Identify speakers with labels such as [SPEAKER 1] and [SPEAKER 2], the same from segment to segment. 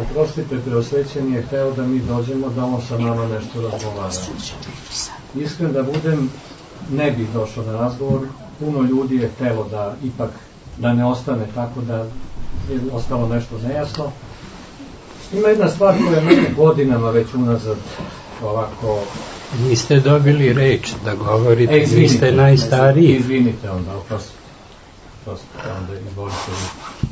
[SPEAKER 1] Oprostite, Preosvećeni je hteo da mi dođemo, da on sa nama nešto razgovara. Iskren da budem, ne bih došao na razgovor. Puno ljudi je htelo da ipak da ne ostane tako, da je ostalo nešto nejasno. Ima jedna stvar koja je mene godinama već unazad ovako...
[SPEAKER 2] Niste dobili reč da govorite, vi ste najstariji.
[SPEAKER 1] Izvinite onda, oprostite, onda izvolite vi.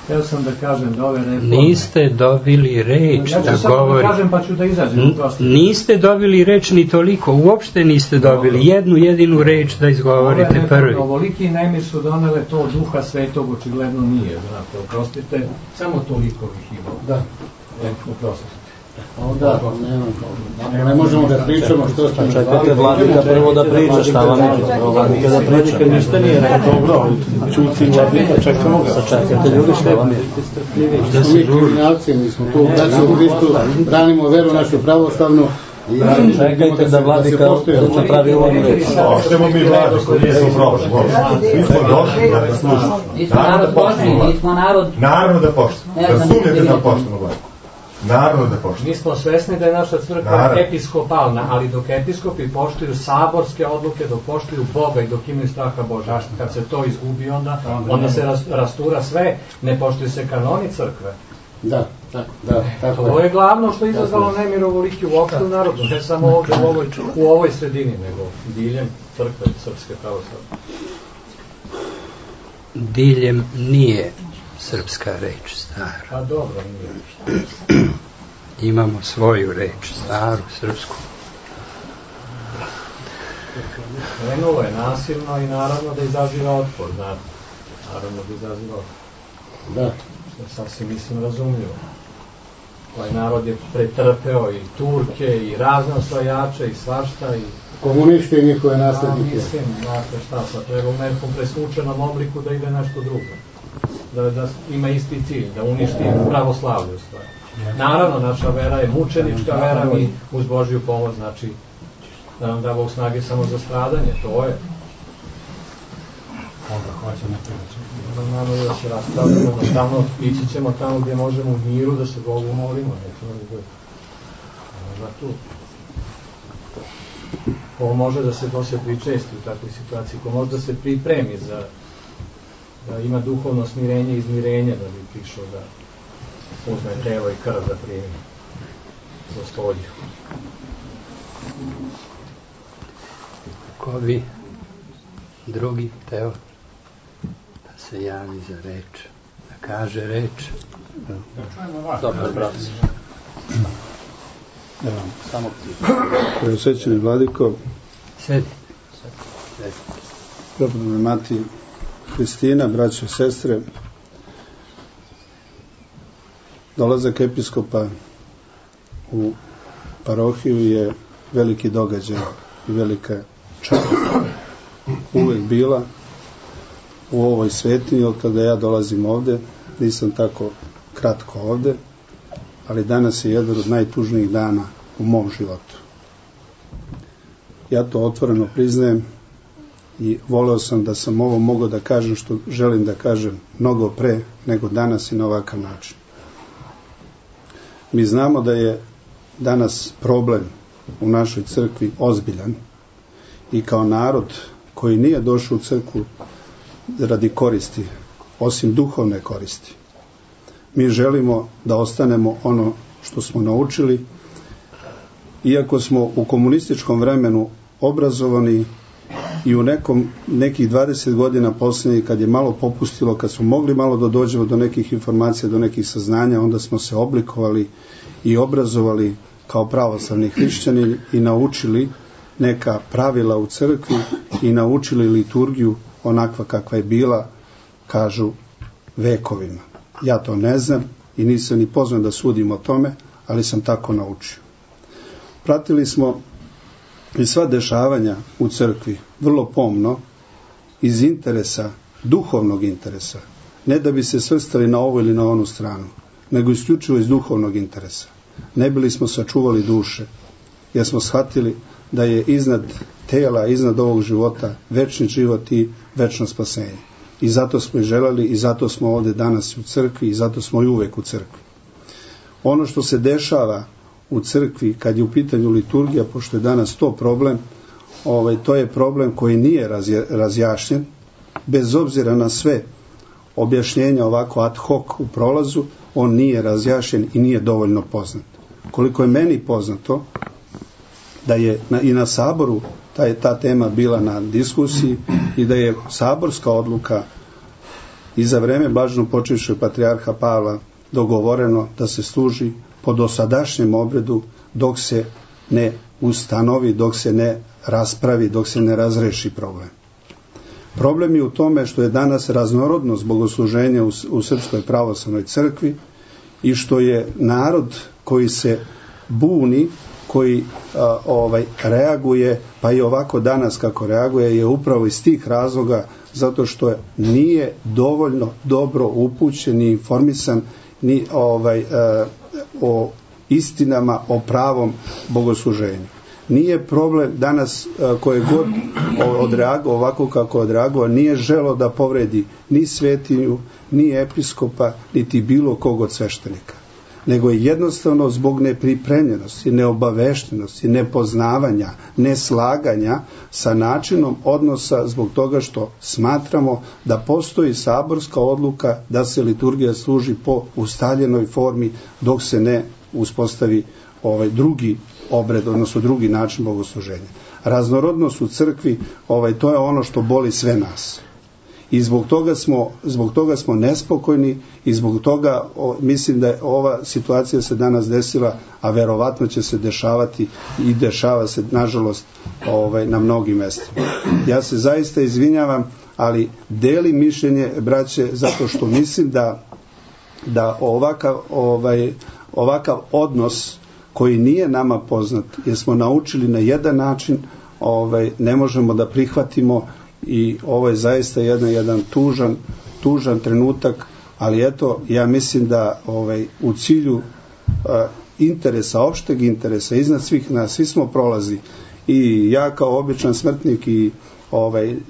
[SPEAKER 1] Hteo sam da kažem da ove reforme...
[SPEAKER 2] Niste dobili reč da govorite. Ja ću samo da
[SPEAKER 1] kažem pa ću da izađem.
[SPEAKER 2] Niste dobili reč ni toliko, uopšte niste dobili jednu jedinu reč da izgovorite prvi.
[SPEAKER 1] Ovoliki nemir su donele to Duha Svetog, očigledno nije, znate, oprostite, samo toliko ih ima. Da. Oprostite.
[SPEAKER 3] Da, ne možemo da pričamo što ste...
[SPEAKER 4] Čekajte vladika prvo da priča, šta vam je? Vladika da priča.
[SPEAKER 3] Ništa nije rekao, dobro, čuci vladika, čekamo ga.
[SPEAKER 4] Sačekajte ljudi, šta vam je?
[SPEAKER 3] Da smo mi kriminalci, mi smo tu u braći u Hristu, branimo veru našu pravoslavnu.
[SPEAKER 4] Čekajte da vladika napravi uvodnu reč.
[SPEAKER 5] Oštemo mi vladiku, nismo problem. Mi smo došli da vas slušamo. Naravno da poštimo. Razumijete da poštimo vladiku. Naravno da poštimo.
[SPEAKER 1] Mi smo svesni da je naša crkva episkopalna, ali dok episkopi poštuju saborske odluke, dok poštuju Boga i dok imaju straha Boža, kad se to izgubi onda se rastura sve, ne poštuju se kanoni crkve.
[SPEAKER 3] Da.
[SPEAKER 1] To je glavno što je izazvalo nemir ovoliki uopšte u narodu, ne samo ovdje u ovoj sredini, nego diljem crkve srpske pravoslavne.
[SPEAKER 2] Diljem nije srpska reč, stara.
[SPEAKER 1] Pa dobro, nije.
[SPEAKER 2] Imamo svoju reč, staru, srpsku.
[SPEAKER 1] Krenulo je nasilno i naravno da izaziva otpor, znate. Naravno da izaziva otpor.
[SPEAKER 3] Da.
[SPEAKER 1] Što je sasvim, mislim, razumljivo. Ovaj narod je pretrpeo i Turke, i razne osvajače, i svašta, i...
[SPEAKER 3] Komunisti i njihove naslednike.
[SPEAKER 1] Mislim, znate šta, sad treba u nekom presvučenom obliku da ide nešto drugo. Da ima isti cilj, da uništi pravoslavlje u stvari. Naravno, naša vera je mučenička vera, mi uz Božju pomoć, znači da nam da Bog snage samo za stradanje, to je.
[SPEAKER 3] Onda hoćemo pričati.
[SPEAKER 1] Znamo da se raspravljamo, jednostavno ići ćemo tamo gdje možemo u miru da se Bogu molimo, nećemo da bude. Možda tu. Ko može da se pričesti u takvoj situaciji, ko može da se pripremi za da ima duhovno smirenje i izmirenje da bi prišao da uzme telo i krv da primi Gospodju.
[SPEAKER 2] Ko bi drugi teo da se javi za reč, da kaže reč?
[SPEAKER 4] Dobar, brat. Samo ti.
[SPEAKER 3] Preosvećeni vladiko,
[SPEAKER 2] Sedite.
[SPEAKER 3] prepodobna mati Hristina, braće i sestre, dolazak episkopa u parohiju je veliki događaj i velika čast. Uvek bila u ovoj svetinji, od kada ja dolazim ovde, nisam tako kratko ovde, ali danas je jedan od najtužnijih dana u mom životu. Ja to otvoreno priznajem i voleo sam da sam ovo mogao da kažem što želim da kažem mnogo pre nego danas i na ovakav način. Mi znamo da je danas problem u našoj crkvi ozbiljan i kao narod koji nije došao u crkvu radi koristi, osim duhovne koristi. Mi želimo da ostanemo ono što smo naučili, iako smo u komunističkom vremenu obrazovani i u nekih 20 godina posljednjih, kad je malo popustilo, kad smo mogli malo da dođemo do nekih informacija, do nekih saznanja, onda smo se oblikovali i obrazovali kao pravoslavni hrišćani i naučili neka pravila u crkvi i naučili liturgiju onakva kakva je bila, kažu, vekovima. Ja to ne znam i nisam ni pozvan da sudim o tome, ali sam tako naučio. Pratili smo i sva dešavanja u crkvi vrlo pomno iz interesa, duhovnog interesa, ne da bi se svrstali na ovu ili na onu stranu, nego isključivo iz duhovnog interesa. Ne bili smo sačuvali duše, jer smo shvatili da je iznad tela, iznad ovog života večni život i večno spasenje. I zato smo i želeli, i zato smo ovdje danas u crkvi, i zato smo i uvek u crkvi. Ono što se dešava u crkvi kad je u pitanju liturgija, pošto je danas to problem, to je problem koji nije razjašnjen, bez obzira na sve objašnjenja ovako ad hoc u prolazu, on nije razjašnjen i nije dovoljno poznat. Koliko je meni poznato, da je i na saboru ta tema bila na diskusiji i da je saborska odluka i za vreme blaženopočivšeg patrijarha Pavla dogovoreno da se služi po dosadašnjem obredu dok se ne ustanovi, dok se ne raspravi, dok se ne razreši problem. Problem je u tome što je danas raznorodnost bogosluženja u Srpskoj pravoslavnoj crkvi i što je narod koji se buni, koji reaguje, pa i ovako danas kako reaguje, je upravo iz tih razloga, zato što nije dovoljno dobro upućen ni informisan ni o istinama, o pravom bogosluženju. Nije problem danas koje god odreagovao ovako kako odreagovao, nije želo da povredi ni svetinju, ni episkopa, niti bilo kog od sveštenika. Nego je jednostavno zbog nepripremljenosti, neobaveštenosti, nepoznavanja, neslaganja sa načinom odnosa, zbog toga što smatramo da postoji saborska odluka da se liturgija služi po ustaljenoj formi dok se ne uspostavi drugi obred, odnosno drugi način bogosluženja. Raznorodnost u crkvi, to je ono što boli sve nas. I zbog toga smo nespokojni i zbog toga mislim da je ova situacija se danas desila, a verovatno će se dešavati i dešava se nažalost na mnogim mestima. Ja se zaista izvinjavam, ali delim mišljenje braće zato što mislim da ovakav odnos koji nije nama poznat, jer smo naučili na jedan način, ne možemo da prihvatimo. I ovo je zaista jedan tužan trenutak, ali eto, ja mislim da u cilju interesa, opšteg interesa, iznad svih nas, svi smo prolazi, i ja kao običan smrtnik i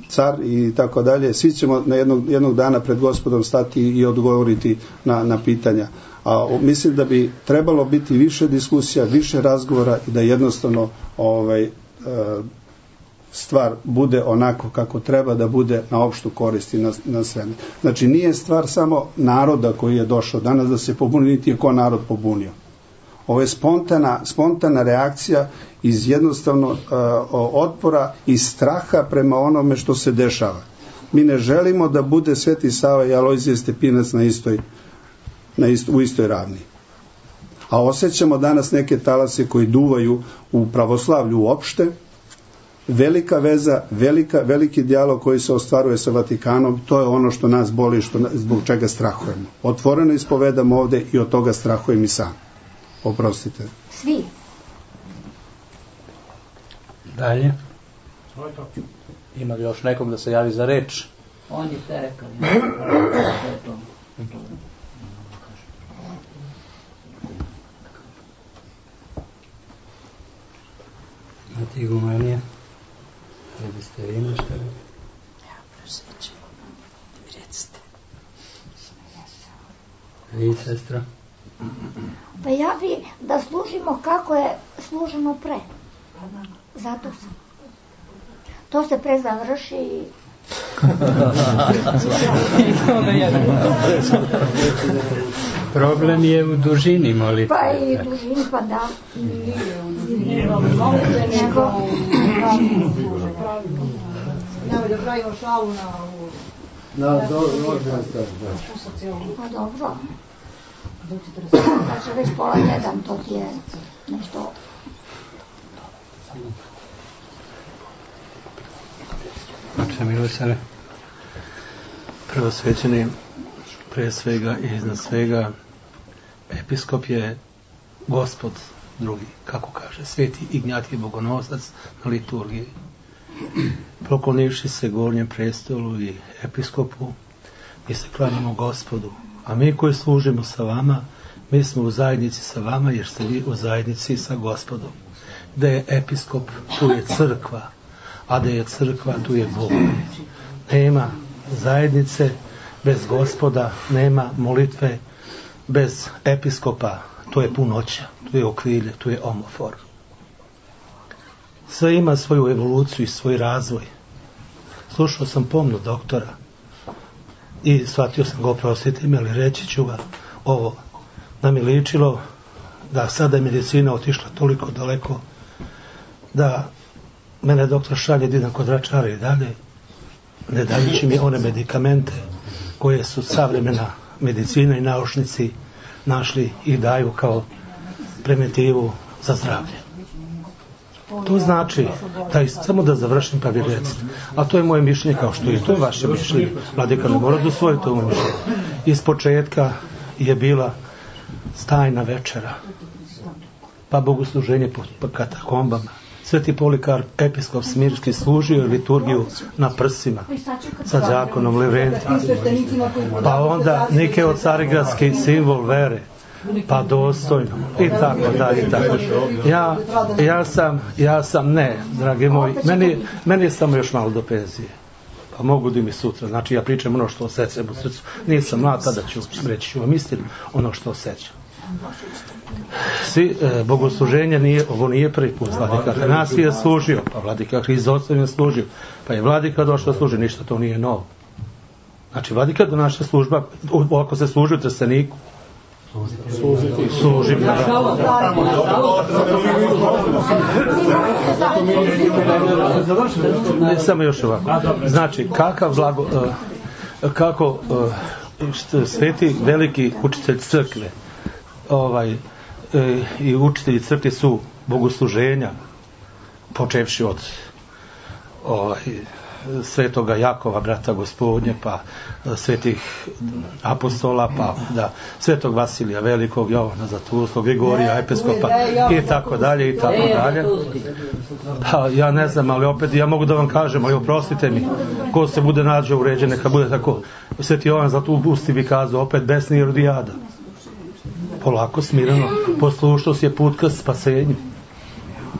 [SPEAKER 3] car i tako dalje, svi ćemo jednog dana pred Gospodom stati i odgovoriti na pitanja. A mislim da bi trebalo biti više diskusija, više razgovora i da jednostavno stvar bude onako kako treba da bude, na opštu korist i na sve. Znači nije stvar samo naroda koji je došao danas da se pobuni, niti je ko narod pobunio. Ovo je spontana reakcija iz jednostavno otpora i straha prema onome što se dešava. Mi ne želimo da bude Sveti Sava i Alojzije Stepinac u istoj ravni. A osjećamo danas neke talase koji duvaju u pravoslavlju uopšte. Velika veza, veliki dijalog koji se ostvaruje sa Vatikanom, to je ono što nas boli, zbog čega strahujemo. Otvoreno ispovedamo ovde i od toga strahujem i sam. Oprostite.
[SPEAKER 6] Svi.
[SPEAKER 2] Dalje.
[SPEAKER 4] Ima li još nekog da se javi za reč?
[SPEAKER 7] On je te rekao.
[SPEAKER 2] Imate igumanija? Ne biste vi nešto?
[SPEAKER 6] Ja prosvećam. Recite.
[SPEAKER 2] Vi, sestra?
[SPEAKER 6] Pa ja bi da služimo kako je služeno pre. Zato sam. To se pre završi i...
[SPEAKER 2] Problem je u dužini molitve.
[SPEAKER 6] Pa i dužini, pa da.
[SPEAKER 7] Nemoj da pravimo šalu na
[SPEAKER 6] Pa dobro. Znači već pola jedan, to ti je nešto...
[SPEAKER 2] Oče milosane.
[SPEAKER 4] Prvosvećeni, pre svega i iznad svega, episkop je Gospod drugi, kako kaže, Sveti Ignjatije Bogonosac na liturgiji. Poklonivši se gornjem prestolu i episkopu, mi se klanjamo Gospodu, a mi koji služimo sa vama, mi smo u zajednici sa vama, jer ste vi u zajednici sa Gospodom. Da je episkop, tu je crkva, a da je crkva, tu je Bog. Nema zajednice bez Gospoda, nema molitve bez episkopa, to je punoća, tu je okrilje, tu je omofor. Sve ima svoju evoluciju i svoj razvoj. Slušao sam pomno doktora i shvatio sam ga, oprostite mi, ali reći ću ga ovo, da mi ličilo da sada je medicina otišla toliko daleko da mene doktor šalje da idem kod vračara i dalje, ne dajući mi one medikamente koje su savremena medicina i naučnici našli i daju kao preventivu za zdravlje. To znači, samo da završim pa vi recite, a to je moje mišljenje kao što je to je vaše mišljenje, vladika ne mora da usvoji to moje mišljenje. Iz početka je bila stajna večera, pa bogosluženje po katakombama. Sveti Polikarp, episkop Smirski, služio liturgiju na prsima sa đakonom Leventom, pa onda Nikeo Carigradski, simbol vere, pa dostojno i tako dalje. Ja sam ne, dragi moji, meni je samo još malo do penzije, pa mogu da mi sutra, znači ja pričam ono što osjećam u srcu, nisam mlad, tada ću reći ću vam istinu, ono što osjećam. Bogosluženje ovo nije prvi put, vladika Atanasije je služio, pa vladika Hrizostom je služio, pa je vladika došao služi, ništa to nije novo. Znači vladika do naša služba, ako se služi u Trsteniku, služi samo još ovako. Znači kako sveti veliki učitelj crkve i učitelji crkve su bogosluženja, počevši od svetoga Jakova, brata Gospodnje, pa svetih apostola, pa svetog Vasilija Velikog, Jovana Zlaturskog, Grigorija, episkopa i tako dalje. Pa ja ne znam, ali opet ja mogu da vam kažem, ali oprostite mi, ko se bude nađe uređen, neka bude tako. Sveti Jovan Zlatubusti bi kazao, opet besni Irodijada. Polako, smirano, poslušnost je put ka spasenju.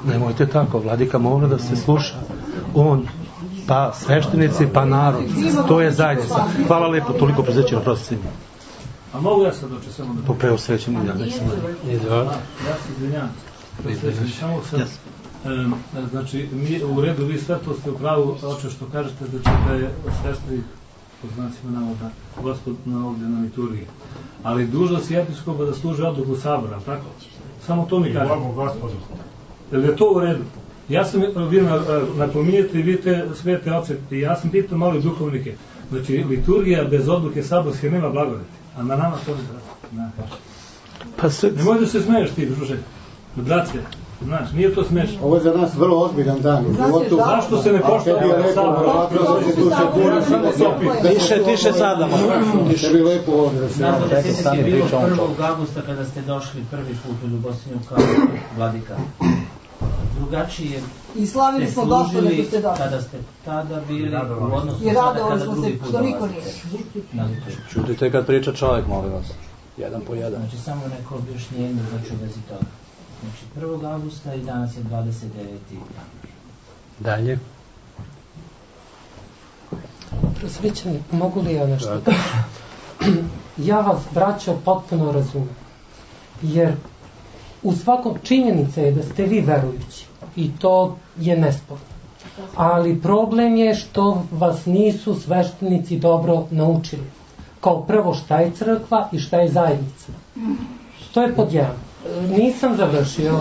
[SPEAKER 4] Nemojte tako, vladika mora da se sluša. On, pa sveštenici, pa narod. To je zajednica. Hvala lepo, toliko prezećeno, prostite mi.
[SPEAKER 1] A mogu ja sad doći samo da...
[SPEAKER 4] Po preosvećem ja nećem.
[SPEAKER 1] Ja se izvinjam. Samo sad. Znači, u redu, vi sve to ste u pravu, oče što kažete, da je svešteni, po znacima navoda, Gospod ovdje na liturgiji. Ali dužnost je episkopa da služi odluku sabora, tako? Samo to mi kažete. Je li to u redu? Ja sam, vi napominjete i vidite svete oce, i ja sam pitao malo i duhovnike. Znači, liturgija bez odluke saborske nema blagodati, a na nama to ne treba. Nemoj da se smeješ ti, druže, braće. Znaš, nije to smešno.
[SPEAKER 8] Ovo je za nas vrlo ozbiljan dan.
[SPEAKER 1] Zašto se ne poštava sabor?
[SPEAKER 8] Tiše sada. Tiše bi lepo ovdje da se
[SPEAKER 7] radi. Znam da je bilo 1. augusta kada ste došli prvi put u Ljubostinju kao vladika. Drugačije
[SPEAKER 9] i slavili smo došli nego ste došli.
[SPEAKER 7] Kada ste tada bili u odnosu
[SPEAKER 9] i radovali smo se što niko nije.
[SPEAKER 10] Čutite kad priča čovjek, molim vas. Jedan po jedan.
[SPEAKER 7] Znači samo neko objašnjenje znači u vezi toga. Znači 1. augusta i danas je 29.
[SPEAKER 2] Dalje.
[SPEAKER 11] Prosvećeni, mogu li ja nešto? Ja vas, braćo, potpuno razumem. Jer u svakom činjenica je da ste vi verujući. I to je nesporno. Ali problem je što vas nisu sveštenici dobro naučili. Kao prvo šta je crkva i šta je zajednica. To je pod jedan. Nisam završio.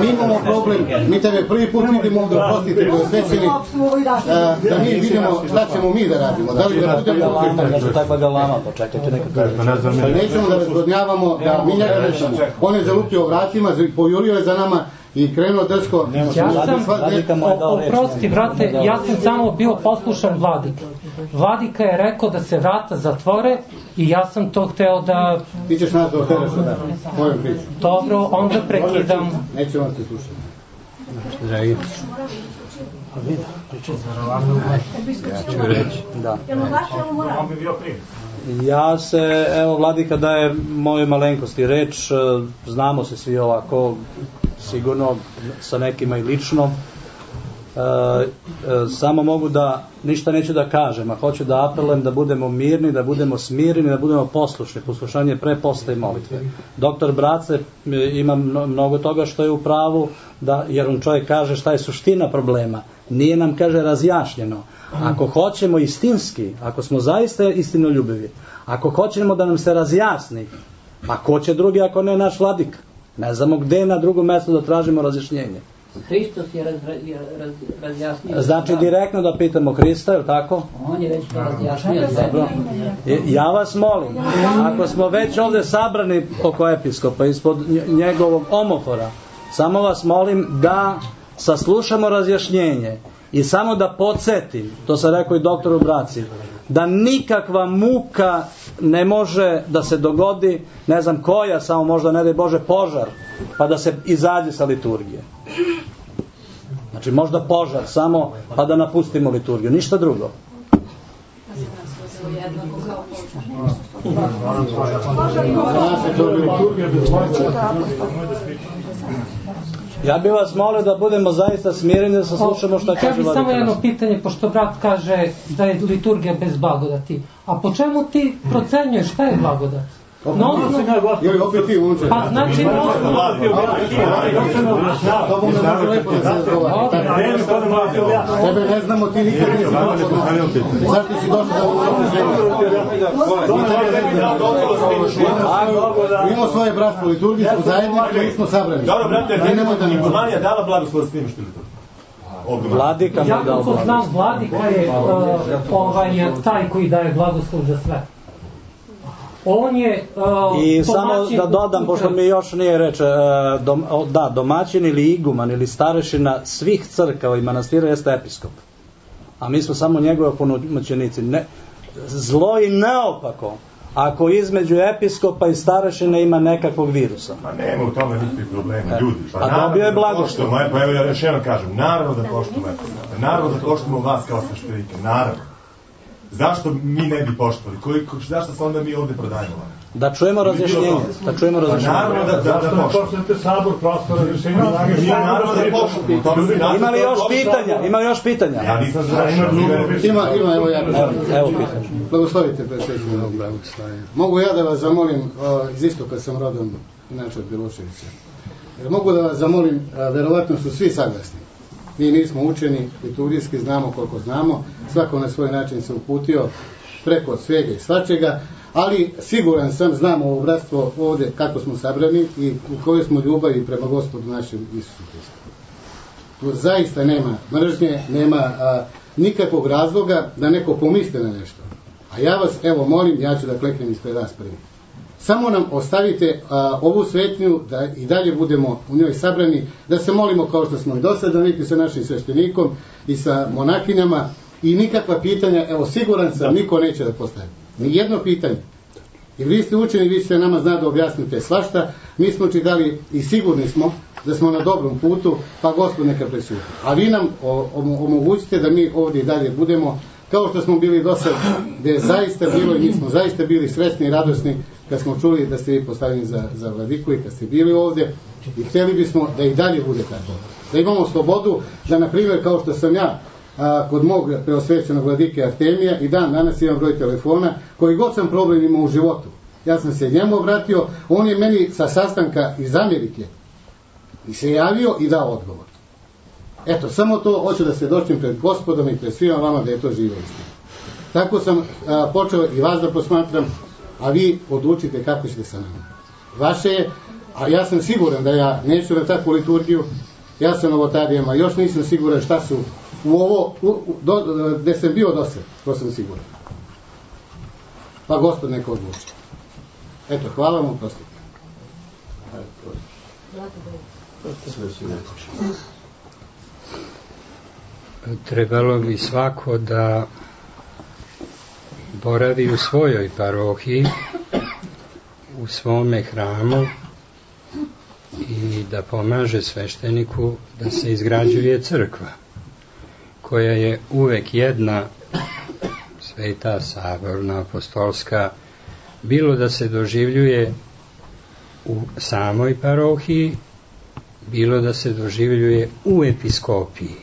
[SPEAKER 8] Mi imamo problem, mi tebe prvi put vidimo ovdje, prostite, svećeni, da mi vidimo šta ćemo mi da radimo. Da li da budemo
[SPEAKER 10] nešto taj bagalama, počekajte neka kaže.
[SPEAKER 8] Nećemo da razgodnjavamo, da mi njega rešimo. On je zalupio vratima, pojurio je za nama i krenuo drsko.
[SPEAKER 11] Oprosti, brate, ja sam samo bio poslušan vladika. Vladika je rekao da se vrata zatvore i ja sam to hteo da...
[SPEAKER 8] Ti ćeš nas da otereš da moju priču.
[SPEAKER 11] Dobro, onda prekidam.
[SPEAKER 8] Neće vam se slušati.
[SPEAKER 2] Dragi.
[SPEAKER 10] A vidi, pričaj za ravno. Ja ću reći. Da.
[SPEAKER 5] On bi bio prije.
[SPEAKER 10] Ja se, evo, vladika daje moje malenkosti reč, znamo se svi ovako, sigurno sa nekima i lično. Samo mogu da, ništa neću da kažem, a hoću da apelujem da budemo mirni, da budemo smireni, da budemo poslušni. Poslušanje pre, posle i molitve. Doktor Brace ima mnogo toga što je u pravu, jer on čovjek kaže šta je suština problema. Nije nam, kaže, razjašnjeno. Ako hoćemo istinski, ako smo zaista istinoljubivi, ako hoćemo da nam se razjasni, pa ko će drugi ako ne naš vladika? Ne znamo gde na drugom mjestu da tražimo razjašnjenje.
[SPEAKER 12] Hristos je razjasnio.
[SPEAKER 10] Znači direktno da pitamo Hrista, je li tako?
[SPEAKER 12] On je već to razjasnio.
[SPEAKER 10] Ja vas molim, ako smo već ovdje sabrani oko episkopa, ispod njegovog omofora, samo vas molim da saslušamo razjašnjenje i samo da podsjetim, to sam rekao i doktoru Braci, da nikakva muka ne može da se dogodi, ne znam koja, samo možda ne daj Bože požar, pa da se izađe sa liturgije. Znači možda požar samo, pa da napustimo liturgiju, ništa drugo. Ja bih vas molio da budemo zaista smireni, da saslušamo šta kaže vladika.
[SPEAKER 11] Ja bih samo jedno pitanje, pošto brat kaže da je liturgija bez blagodati. A po čemu ti procenjuješ šta je blagodat?
[SPEAKER 8] Joj, opet ti unče.
[SPEAKER 11] Pa znači
[SPEAKER 8] Tebe ne znamo, ti nikad nisi došao. Zašto si došao da ovo imamo svoje bratstvo liturgijsku zajednicu i smo sabrani.
[SPEAKER 5] Dobro, brate, Romanija dala blagoslov s tim što liturgiju.
[SPEAKER 10] Vladika mu je dao
[SPEAKER 11] blagoslov. Znam, vladika je taj koji daje blagoslov za sve. On je
[SPEAKER 10] i samo da dodam, pošto mi još nije reč, domaćin ili iguman ili starešina svih crkava i manastira jeste episkop, a mi smo samo njegove opunomoćenici. Zlo i neopako ako između episkopa i starešine ima nekakvog virusa.
[SPEAKER 5] Pa nema u tome nikakvih problema, ljudi.
[SPEAKER 10] A dobio je blagoslov.
[SPEAKER 5] Pa evo ja još jednom kažem, naravno da poštujemo episkopa, naravno da poštujemo vas kao sveštenike, naravno. Zašto mi ne bi poštovali? Zašto se onda mi ovdje prodajemo?
[SPEAKER 10] Da čujemo razjašnjenje.
[SPEAKER 5] Naravno da poštujete sabor, prosto razjašnjenje. Naravno da poštujemo.
[SPEAKER 10] Ima li još pitanja?
[SPEAKER 5] Ja nisam završao.
[SPEAKER 8] Ima, evo ja.
[SPEAKER 10] Evo pitanje.
[SPEAKER 8] Blagoslovite predsjedniče. Mogu ja da vas zamolim, iz istoka sam rodom, inače od Biloševića. Mogu da vas zamolim, verovatno su svi saglasni. Mi nismo učeni, liturgijski znamo koliko znamo, svako na svoj način se uputio preko svega i svačega, ali siguran sam, znamo ovo bratstvo ovdje kako smo sabrani i u kojoj smo ljubavi prema Gospodu našem Isusu Hristu. Tu zaista nema mržnje, nema nikakvog razloga da neko pomisli na nešto. A ja vas, evo, molim, ja ću da kleknem ispred vas prvi. Samo nam ostavite ovu svetnju da i dalje budemo u njoj sabrani, da se molimo kao što smo i do sada navikli sa našim sveštenikom i sa monakinjama i nikakva pitanja, evo siguran sam, niko neće da postavi. Nijedno pitanje. Jer vi ste učeni, vi ćete nama znati da objasnite svašta, mi smo čitali i sigurni smo da smo na dobrom putu, pa Gospod neka presudi. A vi nam omogućite da mi ovdje i dalje budemo kao što smo bili do sada, gdje je zaista bilo i mi smo zaista bili sretni i radosni kad smo čuli da ste vi postavljeni za vladiku i kad ste bili ovdje i htjeli bismo da i dalje bude tako. Da imamo slobodu, da na primjer kao što sam ja kod mog preosvećenog vladike Artemija i danas imam broj telefona, koji god sam problem imao u životu. Ja sam se njemu obratio, on je meni sa sastanka iz Amerike i se javio i dao odgovor. Eto, samo to hoću da se dočim pred Gospodom i pred svima vama da je to živo istina. Tako sam počeo i vas da posmatram, a vi odlučite kako ćete sa nama. Vaše je, a ja sam siguran da ja neću na takvu liturgiju, ja sam novotarijama, još nisam siguran šta su u ovo, gde sam bio do sada, to sam siguran. Pa Gospod neka odluči. Eto, hvala vam, prostite.
[SPEAKER 2] Trebalo bi svako da boravi u svojoj parohiji, u svome hramu i da pomaže svešteniku da se izgrađuje crkva, koja je uvek jedna sveta, saborna, apostolska, bilo da se doživljuje u samoj parohiji, bilo da se doživljuje u episkopiji.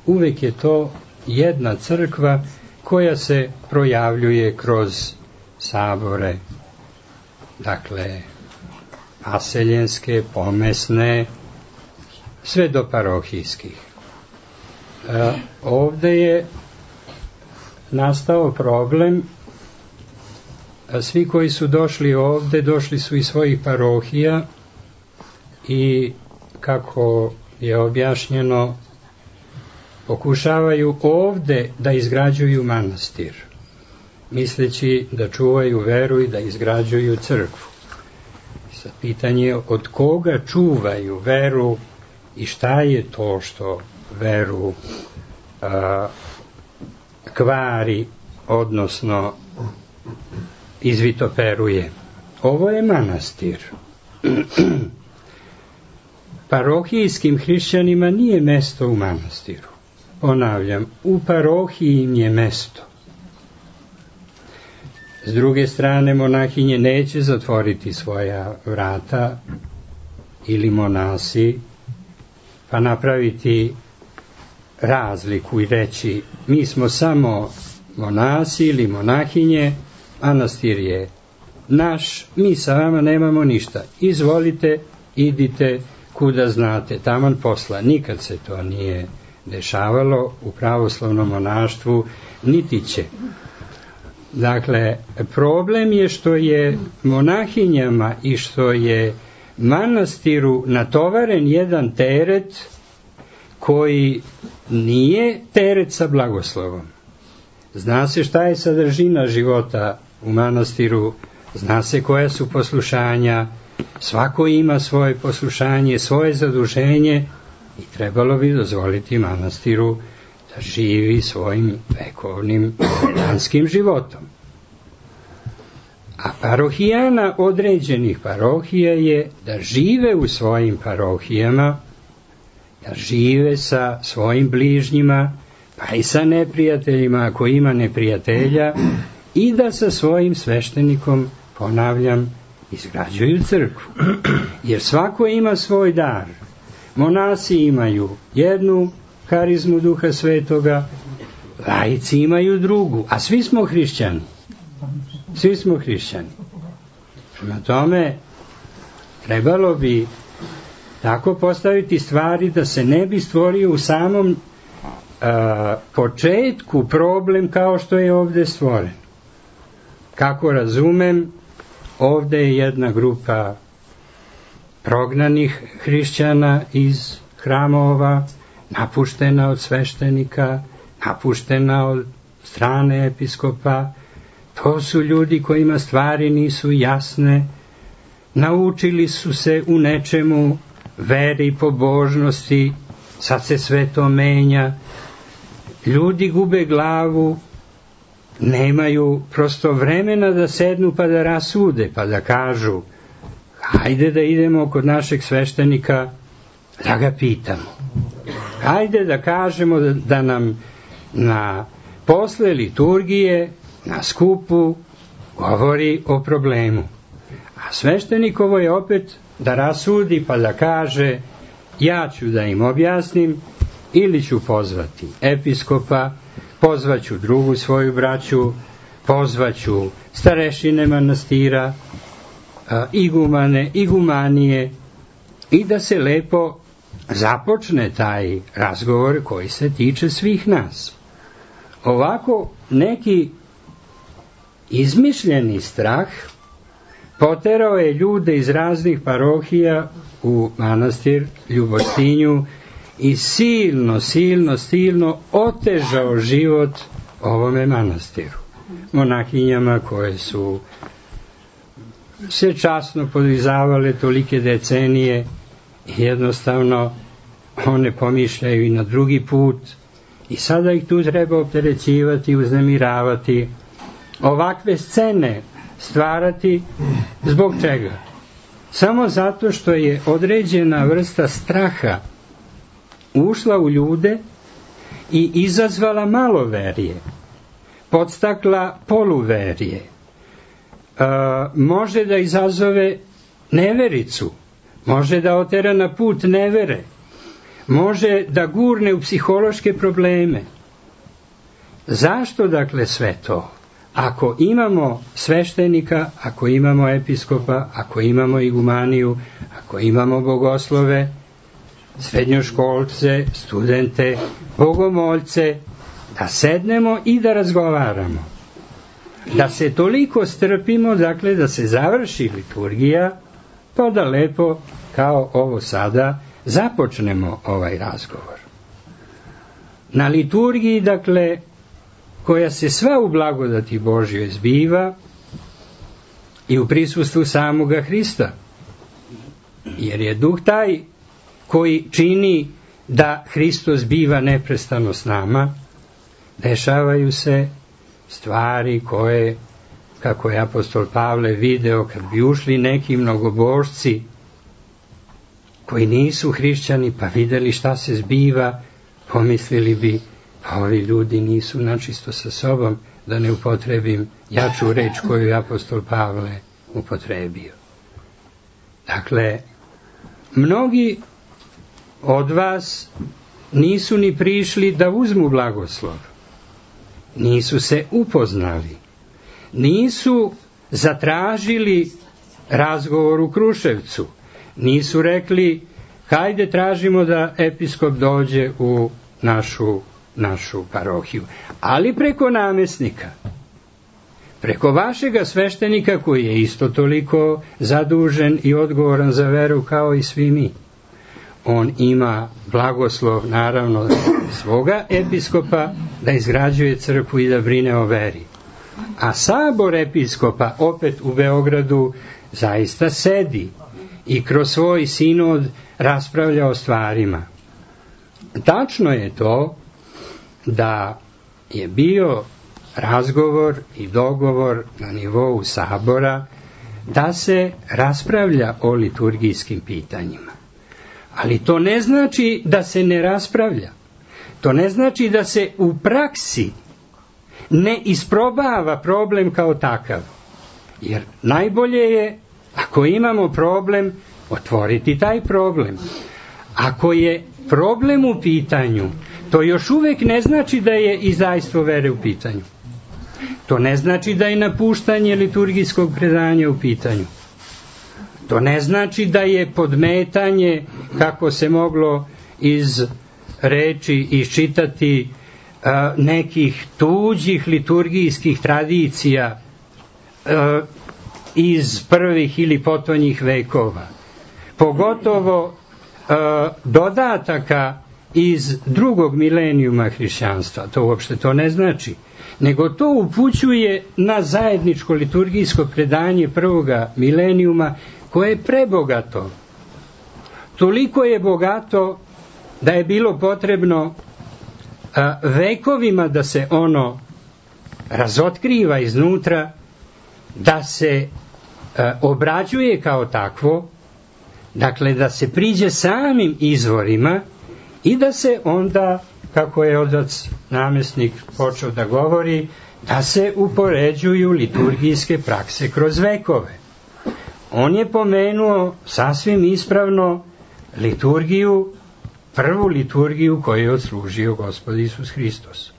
[SPEAKER 2] Uvek je to jedna crkva koja se projavljuje kroz sabore, dakle, aseljenske, pomesne, sve do parohijskih. Ovde je nastao problem, svi koji su došli ovde, došli su iz svojih parohija i, kako je objašnjeno, pokušavaju ovde da izgrađuju manastir, misleći da čuvaju veru i da izgrađuju crkvu. Sad pitanje je od koga čuvaju veru i šta je to što veru kvari, odnosno izvitoperuje. Ovo je manastir. Parohijskim hrišćanima nije mesto u manastiru. Ponavljam, u parohiji im je mesto. S druge strane, monahinje neće zatvoriti svoja vrata ili monasi, pa napraviti razliku i reći mi smo samo monasi ili monahinje, manastir je naš, mi sa vama nemamo ništa. Izvolite, idite kuda znate, taman posla. Nikad se to nije dešavalo u pravoslavnom monaštvu, niti će. Dakle, problem je što je monahinjama i što je manastiru natovaren jedan teret koji nije teret sa blagoslovom. Zna se šta je sadržina života u manastiru, zna se koja su poslušanja, svako ima svoje poslušanje, svoje zaduženje i trebalo bi dozvoliti manastiru da živi svojim vekovnim vedanskim životom. A parohijana određenih parohija je da žive u svojim parohijama, da žive sa svojim bližnjima, pa i sa neprijateljima ako ima neprijatelja, i da sa svojim sveštenikom, ponavljam, izgrađuju crkvu. Jer svako ima svoj dar. Monasi imaju jednu harizmu Duha Svetoga, laici imaju drugu, a svi smo hrišćani. Svi smo hrišćani. Prema tome, trebalo bi tako postaviti stvari da se ne bi stvorio u samom početku problem kao što je ovde stvoren. Kako razumem, ovde je jedna grupa prognanih hrišćana iz hramova, napuštena od sveštenika, napuštena od strane episkopa. To su ljudi kojima stvari nisu jasne, naučili su se u nečemu veri, pobožnosti, sad se sve to menja. Ljudi gube glavu, nemaju prosto vremena da sednu pa da rasude, pa da kažu hajde da idemo kod našeg sveštenika da ga pitamo. Hajde da kažemo da nam na posle liturgije, na skupu, govori o problemu. A sveštenikovo je opet da rasudi pa da kaže ja ću da im objasnim ili ću pozvati episkopa, pozvaću drugu svoju braću, pozvaću starešine manastira, igumane, igumanije i da se lepo započne taj razgovor koji se tiče svih nas. Ovako neki izmišljeni strah poterao je ljude iz raznih parohija u manastir Ljubostinju i silno otežao život ovome manastiru. Monahinjama koje su se časno podvizavale tolike decenije, jednostavno one pomišljaju i na drugi put i sada ih tu treba opterećivati, uznemiravati, ovakve scene stvarati. Zbog čega? Samo zato što je određena vrsta straha ušla u ljude i izazvala maloverje. podstakla poluverje, može da izazove nevericu, može da otera na put nevere, može da gurne u psihološke probleme. Zašto dakle sve to? Ako imamo sveštenika, ako imamo episkopa, ako imamo igumaniju, ako imamo bogoslove, srednjoškolce, studente, bogomoljce, da sednemo i da razgovaramo. Da se toliko strpimo, dakle, da se završi liturgija, pa da lepo, kao ovo sada, započnemo ovaj razgovor. Na liturgiji, dakle, koja se sva u blagodati Božjoj zbiva i u prisustvu samoga Hrista, jer je duh taj koji čini da Hristos biva neprestano s nama, dešavaju se stvari koje, kako je apostol Pavle video, kad bi ušli neki mnogobožci koji nisu hrišćani pa videli šta se zbiva, pomislili bi, pa ovi ljudi nisu načisto sa sobom, da ne upotrebim jaču reč koju je apostol Pavle upotrebio. Dakle, mnogi od vas nisu ni prišli da uzmu blagoslov, nisu se upoznali, nisu zatražili razgovor u Kruševcu, nisu rekli hajde tražimo da episkop dođe u našu parohiju, ali preko namesnika, preko vašega sveštenika koji je isto toliko zadužen i odgovoran za veru kao i svi mi. On ima blagoslov, naravno, svoga episkopa da izgrađuje crkvu i da brine o veri. A sabor episkopa opet u Beogradu zaista sedi i kroz svoj sinod raspravlja o stvarima. Tačno je to da je bio razgovor i dogovor na nivou sabora da se raspravlja o liturgijskim pitanjima. Ali to ne znači da se ne raspravlja. To ne znači da se u praksi ne isprobava problem kao takav. Jer najbolje je, ako imamo problem, otvoriti taj problem. Ako je problem u pitanju, to još uvek ne znači da je izdajstvo vere u pitanju. To ne znači da je napuštanje liturgijskog predanja u pitanju. To ne znači da je podmetanje, kako se moglo iz reči iščitati, nekih tuđih liturgijskih tradicija iz prvih ili potonjih vekova. Pogotovo dodataka iz drugog milenijuma hrišćanstva. To uopšte to ne znači. Nego to upućuje na zajedničko liturgijsko predanje prvoga milenijuma, koje je prebogato. Toliko je bogato da je bilo potrebno vekovima da se ono razotkriva iznutra, da se obrađuje kao takvo, dakle da se priđe samim izvorima i da se onda, kako je otac namesnik počeo da govori, da se upoređuju liturgijske prakse kroz vekove. On je pomenuo sasvim ispravno liturgiju, prvu liturgiju koju je odslužio Gospod Isus Hristos.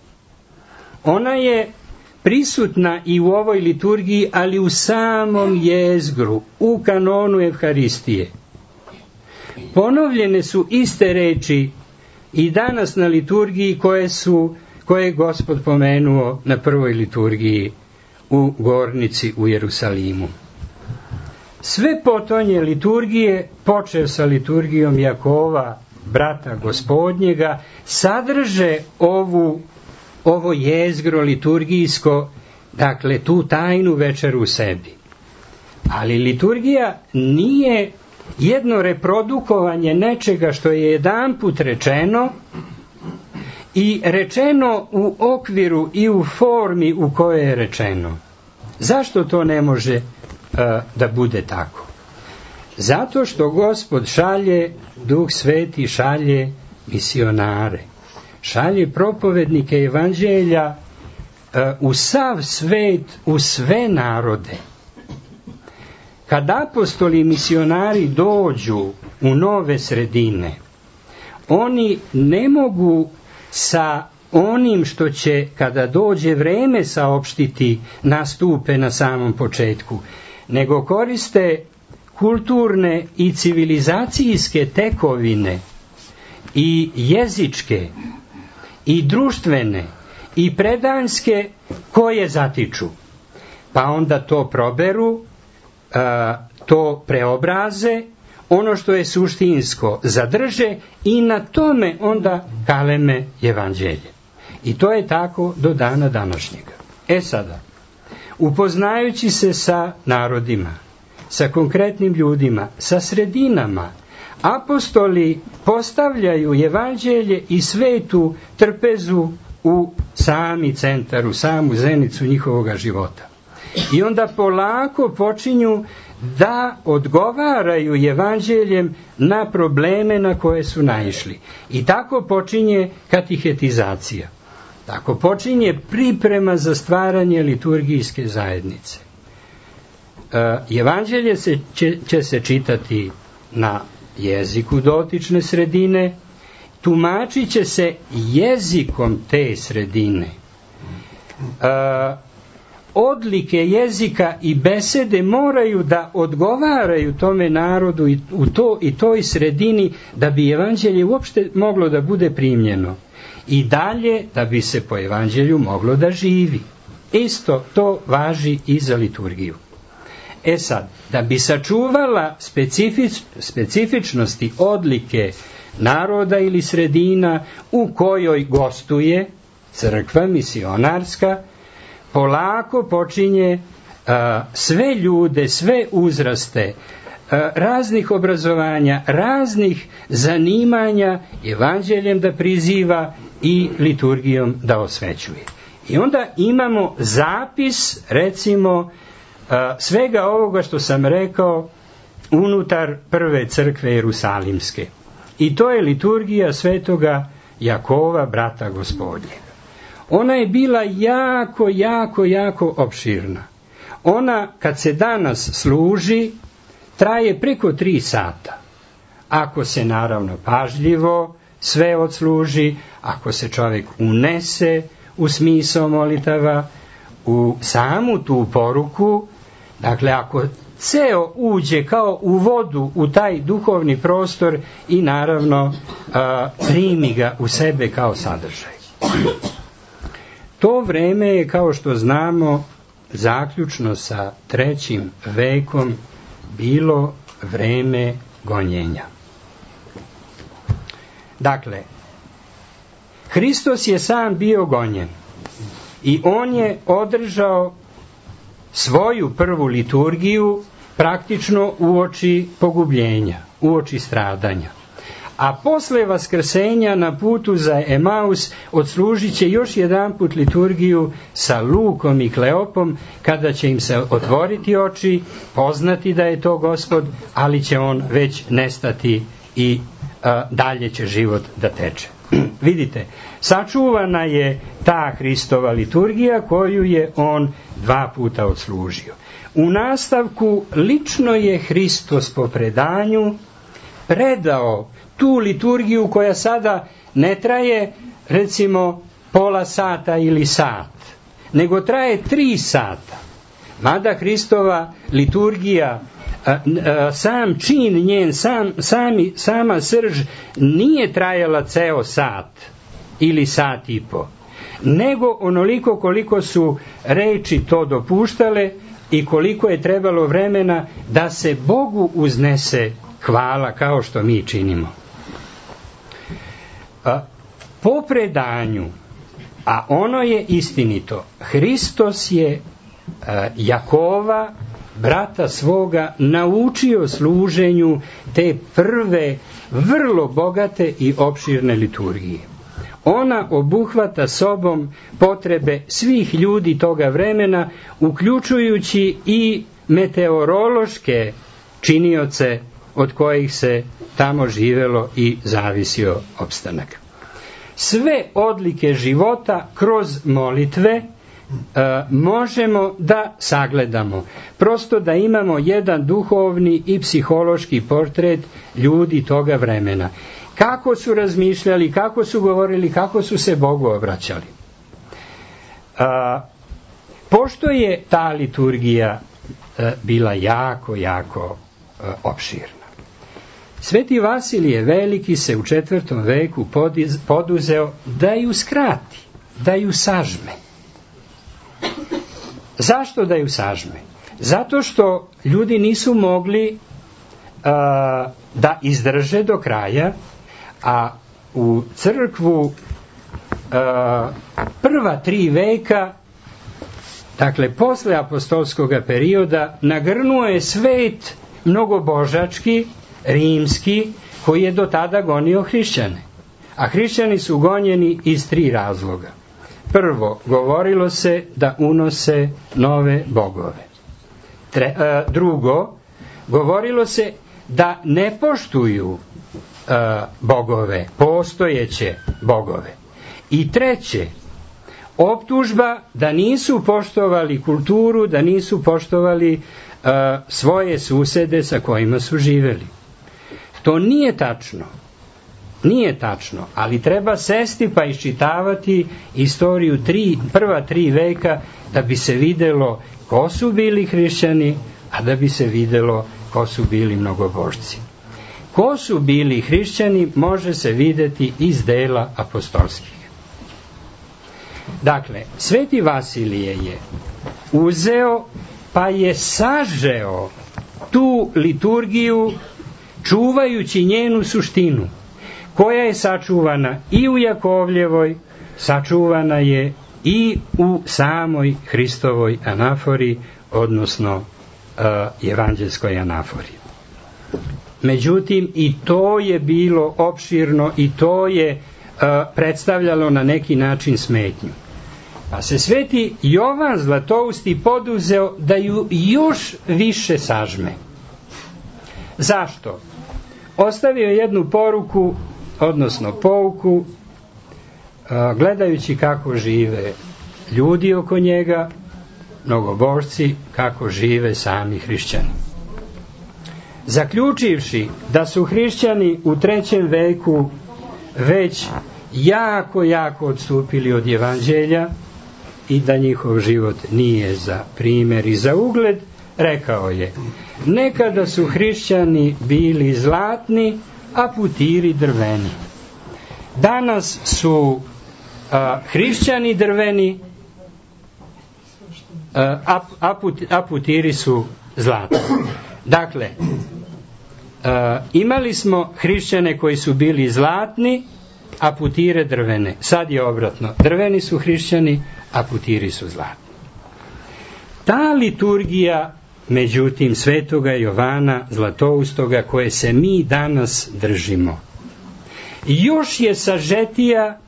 [SPEAKER 2] Ona je prisutna i u ovoj liturgiji, ali u samom jezgru, u kanonu Evharistije. Ponovljene su iste reči i danas na liturgiji koje je Gospod pomenuo na prvoj liturgiji u Gornici u Jerusalimu. Sve potonje liturgije, počev sa liturgijom Jakova, brata Gospodnjega, sadrže ovo jezgro liturgijsko, dakle tu tajnu večeru u sebi. Ali liturgija nije jedno reprodukovanje nečega što je jedanput rečeno i rečeno u okviru i u formi u kojoj je rečeno. Zašto to ne može da bude tako? Zato što Gospod šalje, Duh Sveti šalje misionare, šalje propovednike evanđelja u sav svet, u sve narode. Kad apostoli i misionari dođu u nove sredine, oni ne mogu sa onim što će, kada dođe vreme, saopštiti nastupe na samom početku, nego koriste kulturne i civilizacijske tekovine i jezičke i društvene i predanske koje zatiču. Pa onda to proberu, to preobraze, ono što je suštinsko zadrže i na tome onda kaleme evanđelje. I to je tako do dana današnjega. Sada, upoznajući se sa narodima, sa konkretnim ljudima, sa sredinama, apostoli postavljaju evanđelje i svetu trpezu u sami centar, u samu zenicu njihovoga života. I onda polako počinju da odgovaraju evanđeljem na probleme na koje su naišli. I tako počinje katihetizacija. Tako počinje priprema za stvaranje liturgijske zajednice. Evanđelje će se čitati na jeziku dotične sredine, tumačit će se jezikom te sredine. Odlike jezika i besede moraju da odgovaraju tome narodu i toj sredini da bi evanđelje uopšte moglo da bude primljeno. I dalje da bi se po evanđelju moglo da živi. Isto to važi i za liturgiju. Sad, da bi sačuvala specifičnosti odlike naroda ili sredina u kojoj gostuje crkva misionarska, polako počinje sve ljude, sve uzraste, raznih obrazovanja, raznih zanimanja evanđeljem da priziva i liturgijom da osvećuje. I onda imamo zapis, recimo, svega ovoga što sam rekao unutar prve crkve Jerusalimske. I to je liturgija svetoga Jakova, brata Gospodnjega. Ona je bila jako opširna. Ona, kad se danas služi, traje preko 3 sata. Ako se naravno pažljivo sve odsluži, ako se čovjek unese u smisao molitava, u samu tu poruku, dakle ako ceo uđe kao u vodu u taj duhovni prostor i naravno primi ga u sebe kao sadržaj. To vreme je, kao što znamo, zaključno sa 3. vekom bilo vreme gonjenja. Dakle, Hristos je sam bio gonjen i on je održao svoju prvu liturgiju praktično uoči pogubljenja, uoči stradanja. A posle vaskrsenja na putu za Emaus odslužit će još jedanput liturgiju sa Lukom i Kleopom, kada će im se otvoriti oči, poznati da je to Gospod, ali će on već nestati i dalje će život da teče. Vidite, sačuvana je ta Hristova liturgija koju je on 2 puta odslužio. U nastavku lično je Hristos po predanju predao tu liturgiju koja sada ne traje recimo pola sata ili sat, nego traje 3 sata. Mada Hristova liturgija, sam čin njen, sama srž nije trajala ceo sat ili sat i po, nego onoliko koliko su reči to dopuštale i koliko je trebalo vremena da se Bogu uznese hvala kao što mi činimo. Po predanju, a ono je istinito, Hristos je Jakova, brata svoga, naučio služenju te prve vrlo bogate i opširne liturgije. Ona obuhvata sobom potrebe svih ljudi toga vremena, uključujući i meteorološke činioce od kojih se tamo živelo i zavisio opstanak. Sve odlike života kroz molitve, možemo da sagledamo. Prosto da imamo jedan duhovni i psihološki portret ljudi toga vremena. Kako su razmišljali, kako su govorili, kako su se Bogu obraćali. Pošto je ta liturgija bila jako opširna, Sveti Vasilije Veliki se u 4. veku poduzeo da ju skrati, da ju sažme. Zašto da ju sažme? Zato što ljudi nisu mogli da izdrže do kraja, a u crkvu prva 3 veka, dakle posle apostolskog perioda, nagrnuo je svet mnogobožački, rimski, koji je do tada gonio hrišćane. A hrišćani su gonjeni iz 3 razloga. Prvo, govorilo se da unose nove bogove. Drugo, govorilo se da ne poštuju bogove, postojeće bogove. I treće, optužba da nisu poštovali kulturu, da nisu poštovali svoje susede sa kojima su živeli. To nije tačno. Nije tačno, ali treba sesti pa iščitavati istoriju prva 3 veka da bi se videlo ko su bili hrišćani, a da bi se videlo ko su bili mnogobožci. Ko su bili hrišćani može se videti iz dela apostolskih. Dakle, Sveti Vasilije je uzeo pa je sažeo tu liturgiju čuvajući njenu suštinu, koja je sačuvana i u Jakovljevoj, sačuvana je i u samoj Hristovoj anafori, odnosno evanđelskoj anafori. Međutim, i to je bilo opširno i to je predstavljalo na neki način smetnju. Pa se Sveti Jovan Zlatousti poduzeo da ju još više sažme. Zašto? Ostavio jednu poruku, odnosno pouku, gledajući kako žive ljudi oko njega, mnogobožci, kako žive sami hrišćani. Zaključivši da su hrišćani u 3. veku već jako odstupili od evanđelja i da njihov život nije za primjer i za ugled, rekao je: nekada su hrišćani bili zlatni, a putiri drveni. Danas su hrišćani drveni, a putiri su zlatni. Dakle, imali smo hrišćane koji su bili zlatni, a putire drvene. Sad je obratno. Drveni su hrišćani, a putiri su zlatni. Ta liturgija, međutim, Svetoga Jovana Zlatoustoga, koje se mi danas držimo, još je sažetija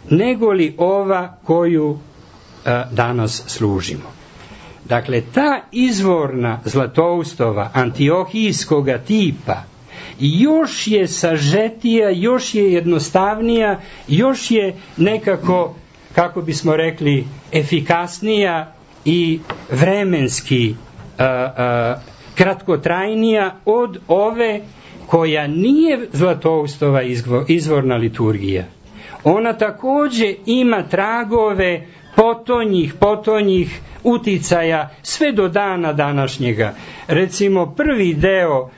[SPEAKER 2] nego li ova koju danas služimo. Dakle, ta izvorna Zlatoustova, antiohijskoga tipa, još je sažetija, još je jednostavnija, još je nekako, kako bismo rekli, efikasnija i vremenski kratkotrajnija od ove koja nije Zlatoustova izvorna liturgija. Ona također ima tragove potonjih uticaja sve do dana današnjega. Recimo, prvi deo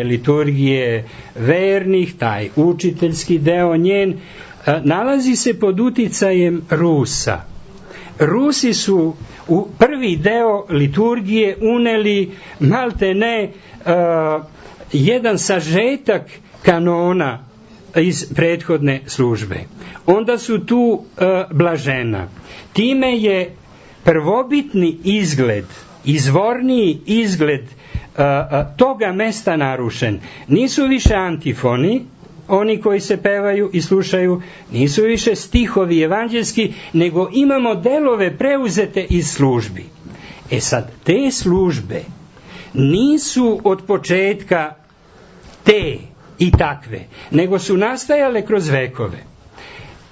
[SPEAKER 2] liturgije vernih, taj učiteljski deo njen, nalazi se pod uticajem Rusa. Rusi su u prvi deo liturgije uneli maltene jedan sažetak kanona iz prethodne službe. Onda su tu blažena. Time je prvobitni izgled, izvorniji izgled toga mesta narušen. Nisu više antifoni, oni koji se pevaju i slušaju, nisu više stihovi evanđelski, nego imamo delove preuzete iz službi. E sad, te službe nisu od početka te i takve, nego su nastajale kroz vekove.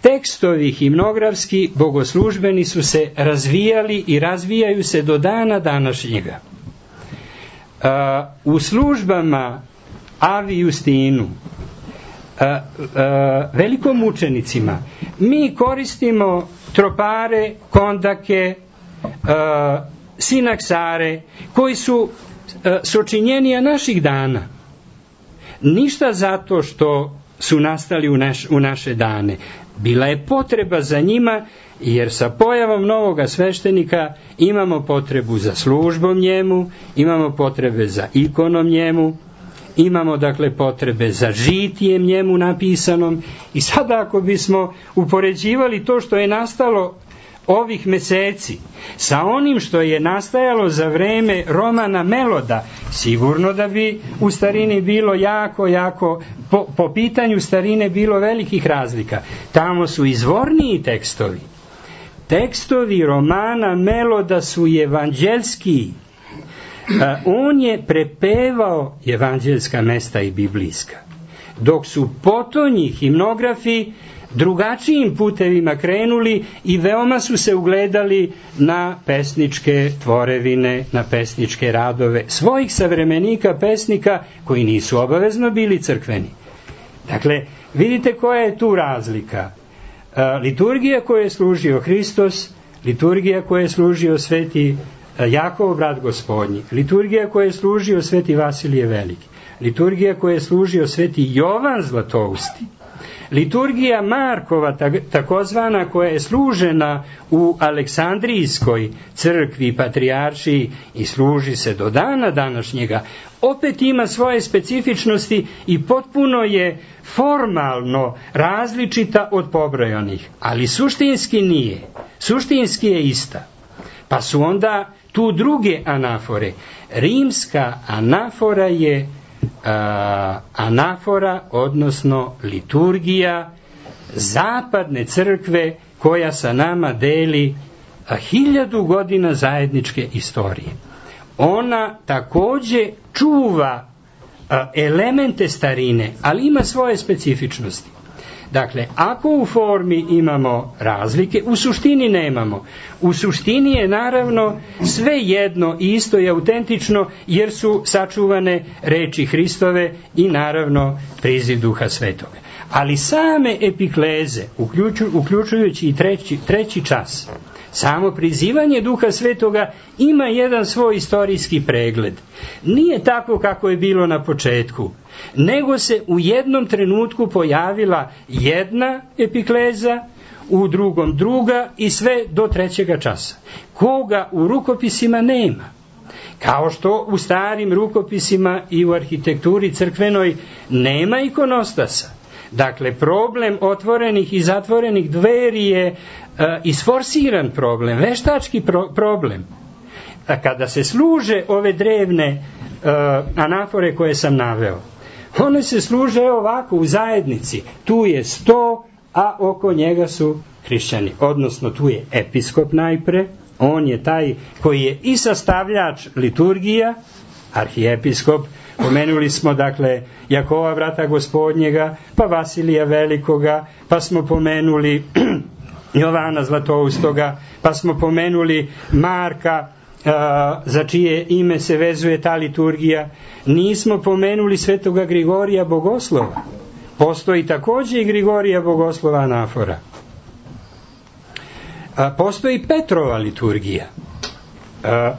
[SPEAKER 2] tekstovi himnografski bogoslužbeni su se razvijali i razvijaju se do dana današnjega. U službama Avi Justinu, velikomučenicima, mi koristimo tropare, kondake, sinaksare, koji su sočinjenija naših dana. Ništa zato što su nastali u naše dane. Bila je potreba za njima, jer sa pojavom novoga sveštenika imamo potrebu za službom njemu, imamo potrebe za ikonom njemu, imamo dakle potrebe za žitijem njemu napisanom. I sada ako bismo upoređivali to što je nastalo ovih meseci sa onim što je nastajalo za vreme Romana Meloda, sigurno da bi u starini bilo jako, po pitanju starine bilo velikih razlika. Tamo su izvorniji tekstovi. Tekstovi Romana Meloda su evanđelski. On je prepevao evanđelska mesta i biblijska, dok su potonji himnografi drugačijim putevima krenuli i veoma su se ugledali na pesničke tvorevine, na pesničke radove svojih savremenika pesnika koji nisu obavezno bili crkveni. Dakle, vidite koja je tu razlika. Liturgija koju je služio Hristos, liturgija koju je služio sveti Jakov, brat gospodnji, liturgija koju je služio sveti Vasilije Veliki, liturgija koju je služio sveti Jovan Zlatousti, liturgija Markova, takozvana, koja je služena u Aleksandrijskoj crkvi, patrijaršiji i služi se do dana današnjega, opet ima svoje specifičnosti i potpuno je formalno različita od pobrojanih, ali suštinski nije. Suštinski je ista. Pa su onda tu druge anafore. Rimska anafora je anafora, odnosno liturgija zapadne crkve koja sa nama deli 1000 godina zajedničke istorije. Ona takođe čuva elemente starine, ali ima svoje specifičnosti. Dakle, ako u formi imamo razlike, u suštini nemamo. U suštini je naravno sve jedno i isto i autentično, jer su sačuvane reči Hristove i naravno priziv Duha Svetoga. Ali same epikleze, uključujući i treći čas, samo prizivanje Duha Svetoga ima jedan svoj istorijski pregled. Nije tako kako je bilo na početku, nego se u jednom trenutku pojavila jedna epikleza, u drugom druga i sve do trećega časa. Koga u rukopisima nema. Kao što u starim rukopisima i u arhitekturi crkvenoj nema ikonostasa. Dakle, problem otvorenih i zatvorenih dveri je isforsiran problem, veštački problem. Kada se služe ove drevne anafore koje sam naveo, one se služe ovako u zajednici. Tu je sto, a oko njega su hrišćani. Odnosno, tu je episkop najpre, on je taj koji je i sastavljač liturgija, arhijepiskop. Pomenuli smo, dakle, Jakova, brata gospodnjega, pa Vasilija Velikoga, pa smo pomenuli Jovana Zlatoustoga, pa smo pomenuli Marka, za čije ime se vezuje ta liturgija. Nismo pomenuli svetoga Grigorija Bogoslova. Postoji takođe i Grigorija Bogoslova anafora. Postoji Petrova liturgija.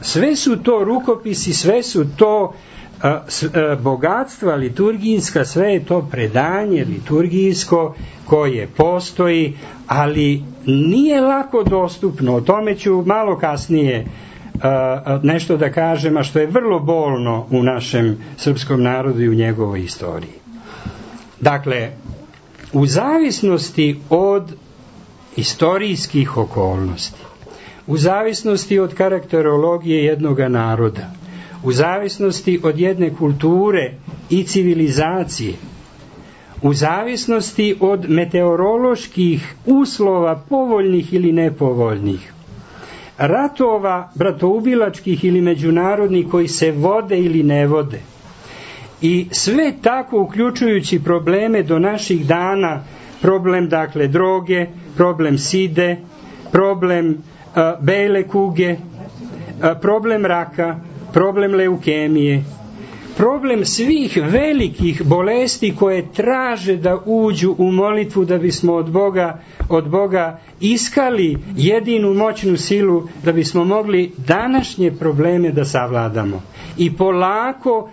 [SPEAKER 2] Sve su to rukopisi, sve su to bogatstva liturgijska, sve je to predanje liturgijsko koje postoji, ali nije lako dostupno. O tome ću malo kasnije nešto da kažem, a što je vrlo bolno u našem srpskom narodu i u njegovoj istoriji. Dakle, u zavisnosti od istorijskih okolnosti, u zavisnosti od karakterologije jednoga naroda, u zavisnosti od jedne kulture i civilizacije, u zavisnosti od meteoroloških uslova povoljnih ili nepovoljnih, ratova bratoubilačkih ili međunarodnih koji se vode ili ne vode, i sve tako uključujući probleme do naših dana problem dakle droge, problem side, problem bele kuge, problem raka, problem leukemije, problem svih velikih bolesti koje traže da uđu u molitvu da bismo od Boga iskali jedinu moćnu silu da bismo mogli današnje probleme da savladamo. I polako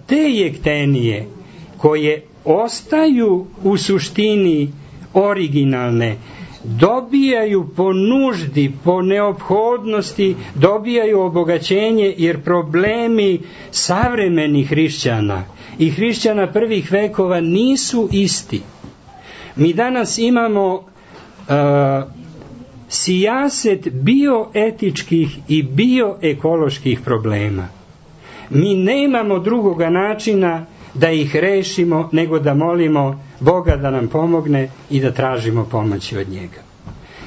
[SPEAKER 2] te jektenije koje ostaju u suštini originalne, dobijaju po nuždi, po neophodnosti, dobijaju obogaćenje, jer problemi savremenih hrišćana i hrišćana prvih vekova nisu isti. Mi danas imamo sijaset bioetičkih i bioekoloških problema. Mi nemamo drugoga načina da ih rešimo nego da molimo Boga da nam pomogne i da tražimo pomoći od njega.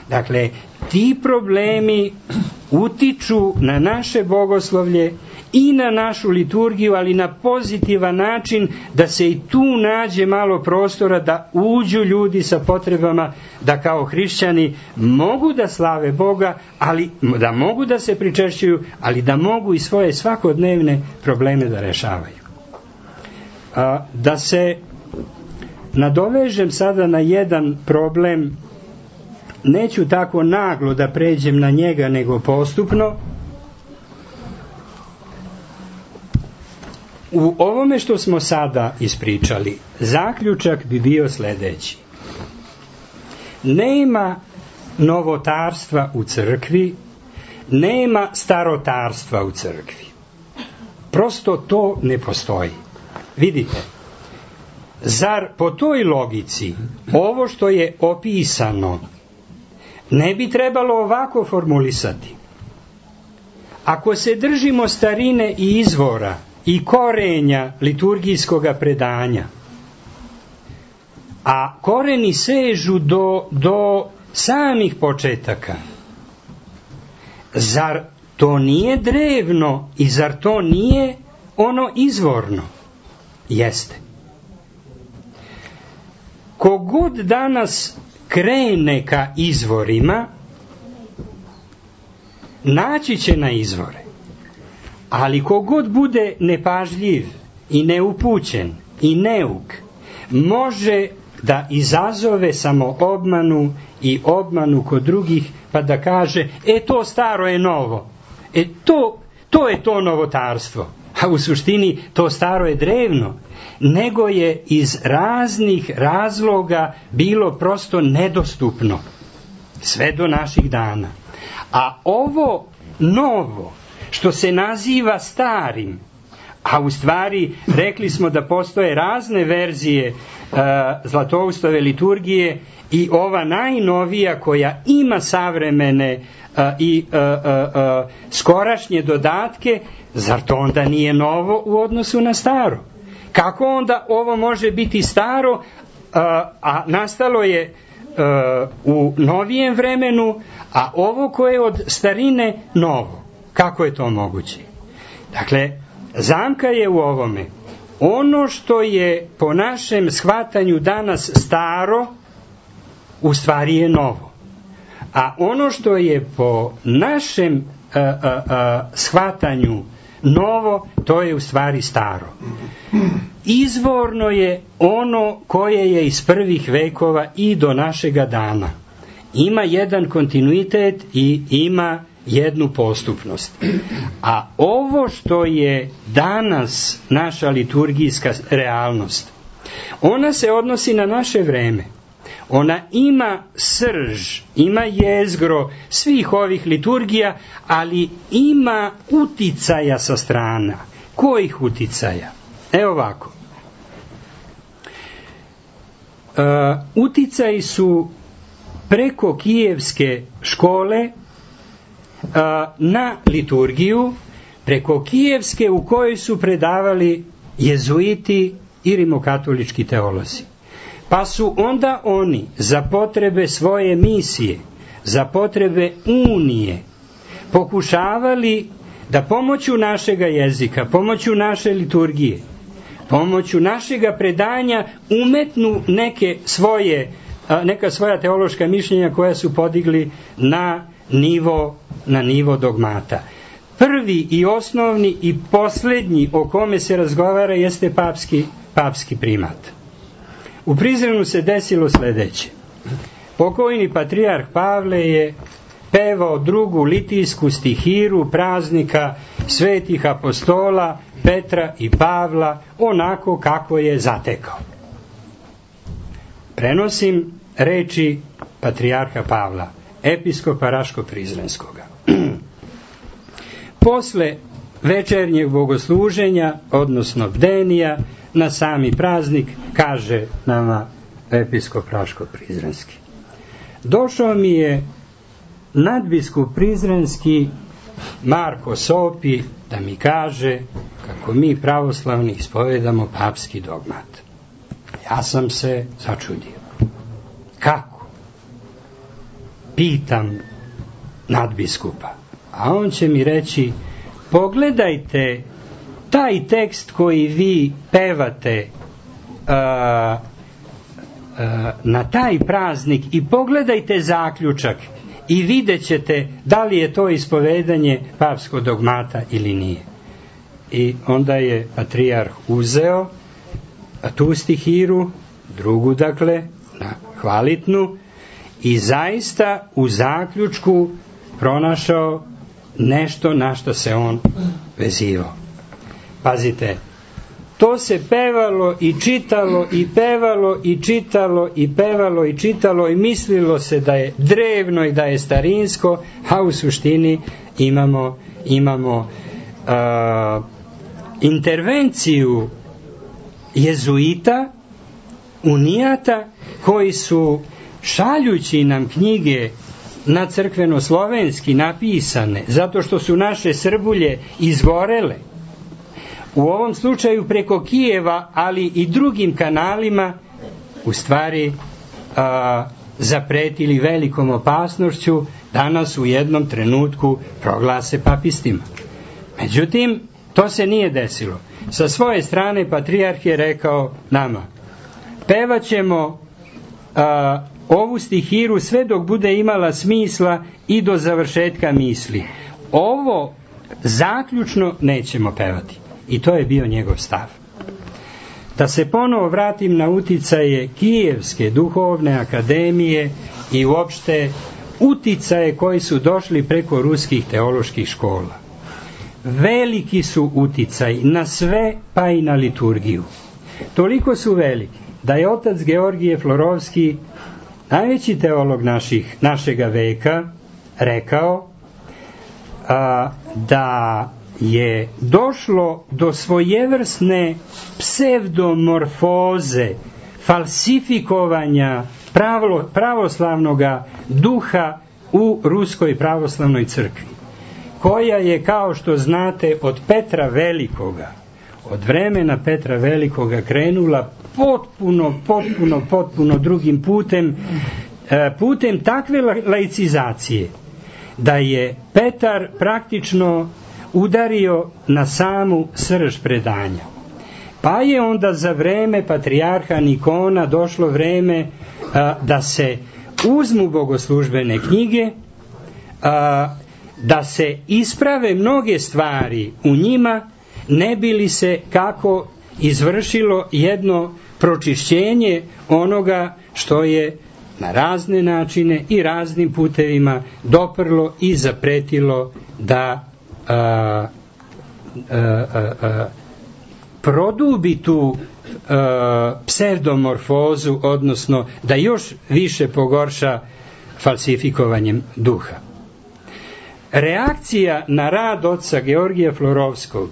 [SPEAKER 2] Dakle, ti problemi utiču na naše bogoslovlje i na našu liturgiju, ali na pozitivan način da se i tu nađe malo prostora da uđu ljudi sa potrebama da kao hrišćani mogu da slave Boga, ali da mogu da se pričešćuju, ali da mogu i svoje svakodnevne probleme da rešavaju. Da se nadovežem sada na jedan problem, neću tako naglo da pređem na njega, nego postupno. U ovome što smo sada ispričali, zaključak bi bio sledeći. Nema novotarstva u crkvi, nema starotarstva u crkvi. Prosto to ne postoji. Vidite, zar po toj logici ovo što je opisano ne bi trebalo ovako formulisati? Ako se držimo starine i izvora i korenja liturgijskoga predanja, a koreni sežu do samih početaka, zar to nije drevno i zar to nije ono izvorno? Jeste. Kogod danas krene ka izvorima, naći će na izvore. Ali kogod bude nepažljiv i neupućen i neuk, može da izazove samoobmanu i obmanu kod drugih, pa da kaže, to staro je novo. To je to novotarstvo. A u suštini to staro je drevno, nego je iz raznih razloga bilo prosto nedostupno sve do naših dana. A ovo novo što se naziva starim, a u stvari rekli smo da postoje razne verzije Zlatoustove liturgije i ova najnovija koja ima savremene i skorašnje dodatke, zar to onda nije novo u odnosu na staro? Kako onda ovo može biti staro, a nastalo je u novijem vremenu, a ovo koje je od starine novo? Kako je to moguće? Dakle, zamka je u ovome. Ono što je po našem shvatanju danas staro, u stvari je novo. A ono što je po našem shvatanju novo, to je u stvari staro. Izvorno je ono koje je iz prvih vekova i do našega dana. Ima jedan kontinuitet i ima jednu postupnost. A ovo što je danas naša liturgijska realnost, ona se odnosi na naše vreme. Ona ima srž, ima jezgro svih ovih liturgija, ali ima uticaja sa strana. Kojih uticaja? Evo ovako. Uticaji su preko kijevske škole na liturgiju, preko kijevske u kojoj su predavali jezuiti i rimokatolički teolozi. Pa su onda oni za potrebe svoje misije, za potrebe unije, pokušavali da pomoću našega jezika, pomoću naše liturgije, pomoću našega predanja umetnu neka svoja teološka mišljenja koja su podigli na nivo dogmata. Prvi i osnovni i posljednji o kome se razgovara jeste papski primat. U Prizrenu se desilo sljedeće. Pokojni patrijarh Pavle je pevao drugu litijsku stihiru praznika svetih apostola Petra i Pavla onako kako je zatekao. Prenosim reči patrijarha Pavla, episkopa Raško-Prizrenskoga. Posle večernjeg bogosluženja, odnosno bdenija, na sami praznik, kaže nama episkop Raško-Prizrenski. Došao mi je nadbiskup Prizrenski Marko Sopi da mi kaže kako mi pravoslavni ispovedamo papski dogmat. Ja sam se začudio. Kako? Pitam nadbiskupa. A on će mi reći, pogledajte taj tekst koji vi pevate na taj praznik i pogledajte zaključak i vidjet ćete da li je to ispovedanje papskog dogmata ili nije. I onda je patrijarh uzeo tu stihiru, drugu dakle, hvalitnu, i zaista u zaključku pronašao nešto na što se on vezivao. Pazite, to se pevalo i čitalo i pevalo i čitalo i pevalo i čitalo i mislilo se da je drevno i da je starinsko, a u suštini imamo intervenciju jezuita, unijata, koji su šaljući nam knjige na crkveno-slovenski napisane, zato što su naše Srbulje izgorele, u ovom slučaju preko Kijeva, ali i drugim kanalima, u stvari zapretili velikom opasnošću da nas u jednom trenutku proglase papistima. Međutim, to se nije desilo. Sa svoje strane patrijarh je rekao nama, pevat ćemo ovu stihiru sve dok bude imala smisla i do završetka misli. Ovo zaključno nećemo pevati. I to je bio njegov stav. Da se ponovo vratim na uticaje Kijevske duhovne akademije i uopšte uticaje koji su došli preko ruskih teoloških škola. Veliki su uticaj na sve, pa i na liturgiju. Toliko su veliki da je otac Georgije Florovski, najveći teolog našega veka, rekao da je došlo do svojevrsne psevdomorfoze, falsifikovanja pravoslavnog duha u Ruskoj pravoslavnoj crkvi, koja je, kao što znate, od vremena Petra Velikoga krenula potpuno drugim putem takve laicizacije, da je Petar praktično udario na samu srž predanja. Pa je onda za vreme patrijarha Nikona došlo vreme da se uzmu bogoslužbene knjige, da se isprave mnoge stvari u njima, ne bi li se kako izvršilo jedno pročišćenje onoga što je na razne načine i raznim putevima doprlo i zapretilo da produbi tu psevdomorfozu, odnosno da još više pogorša falsifikovanjem duha. Reakcija na rad oca Georgija Florovskog,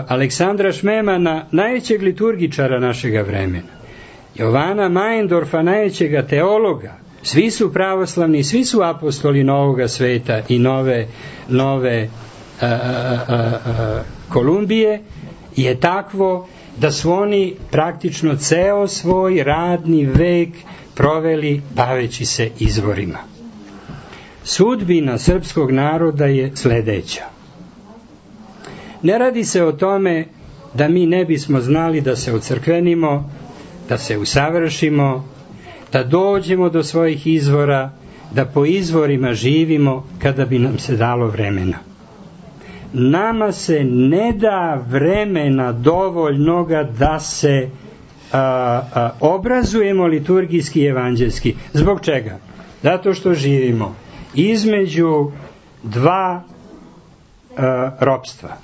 [SPEAKER 2] Aleksandra Šmemana, najvećeg liturgičara našega vremena, Jovana Majendorfa, najvećega teologa, svi su pravoslavni, svi su apostoli Novoga sveta i nove Kolumbije, je takvo da su oni praktično ceo svoj radni vek proveli baveći se izvorima. Sudbina srpskog naroda je sledeća. Ne radi se o tome da mi ne bismo znali da se ocrkvenimo, da se usavršimo, da dođemo do svojih izvora, da po izvorima živimo kada bi nam se dalo vremena. Nama se ne da vremena dovoljnoga da se obrazujemo liturgijski i evanđelski. Zbog čega? Zato što živimo između dva ropstva,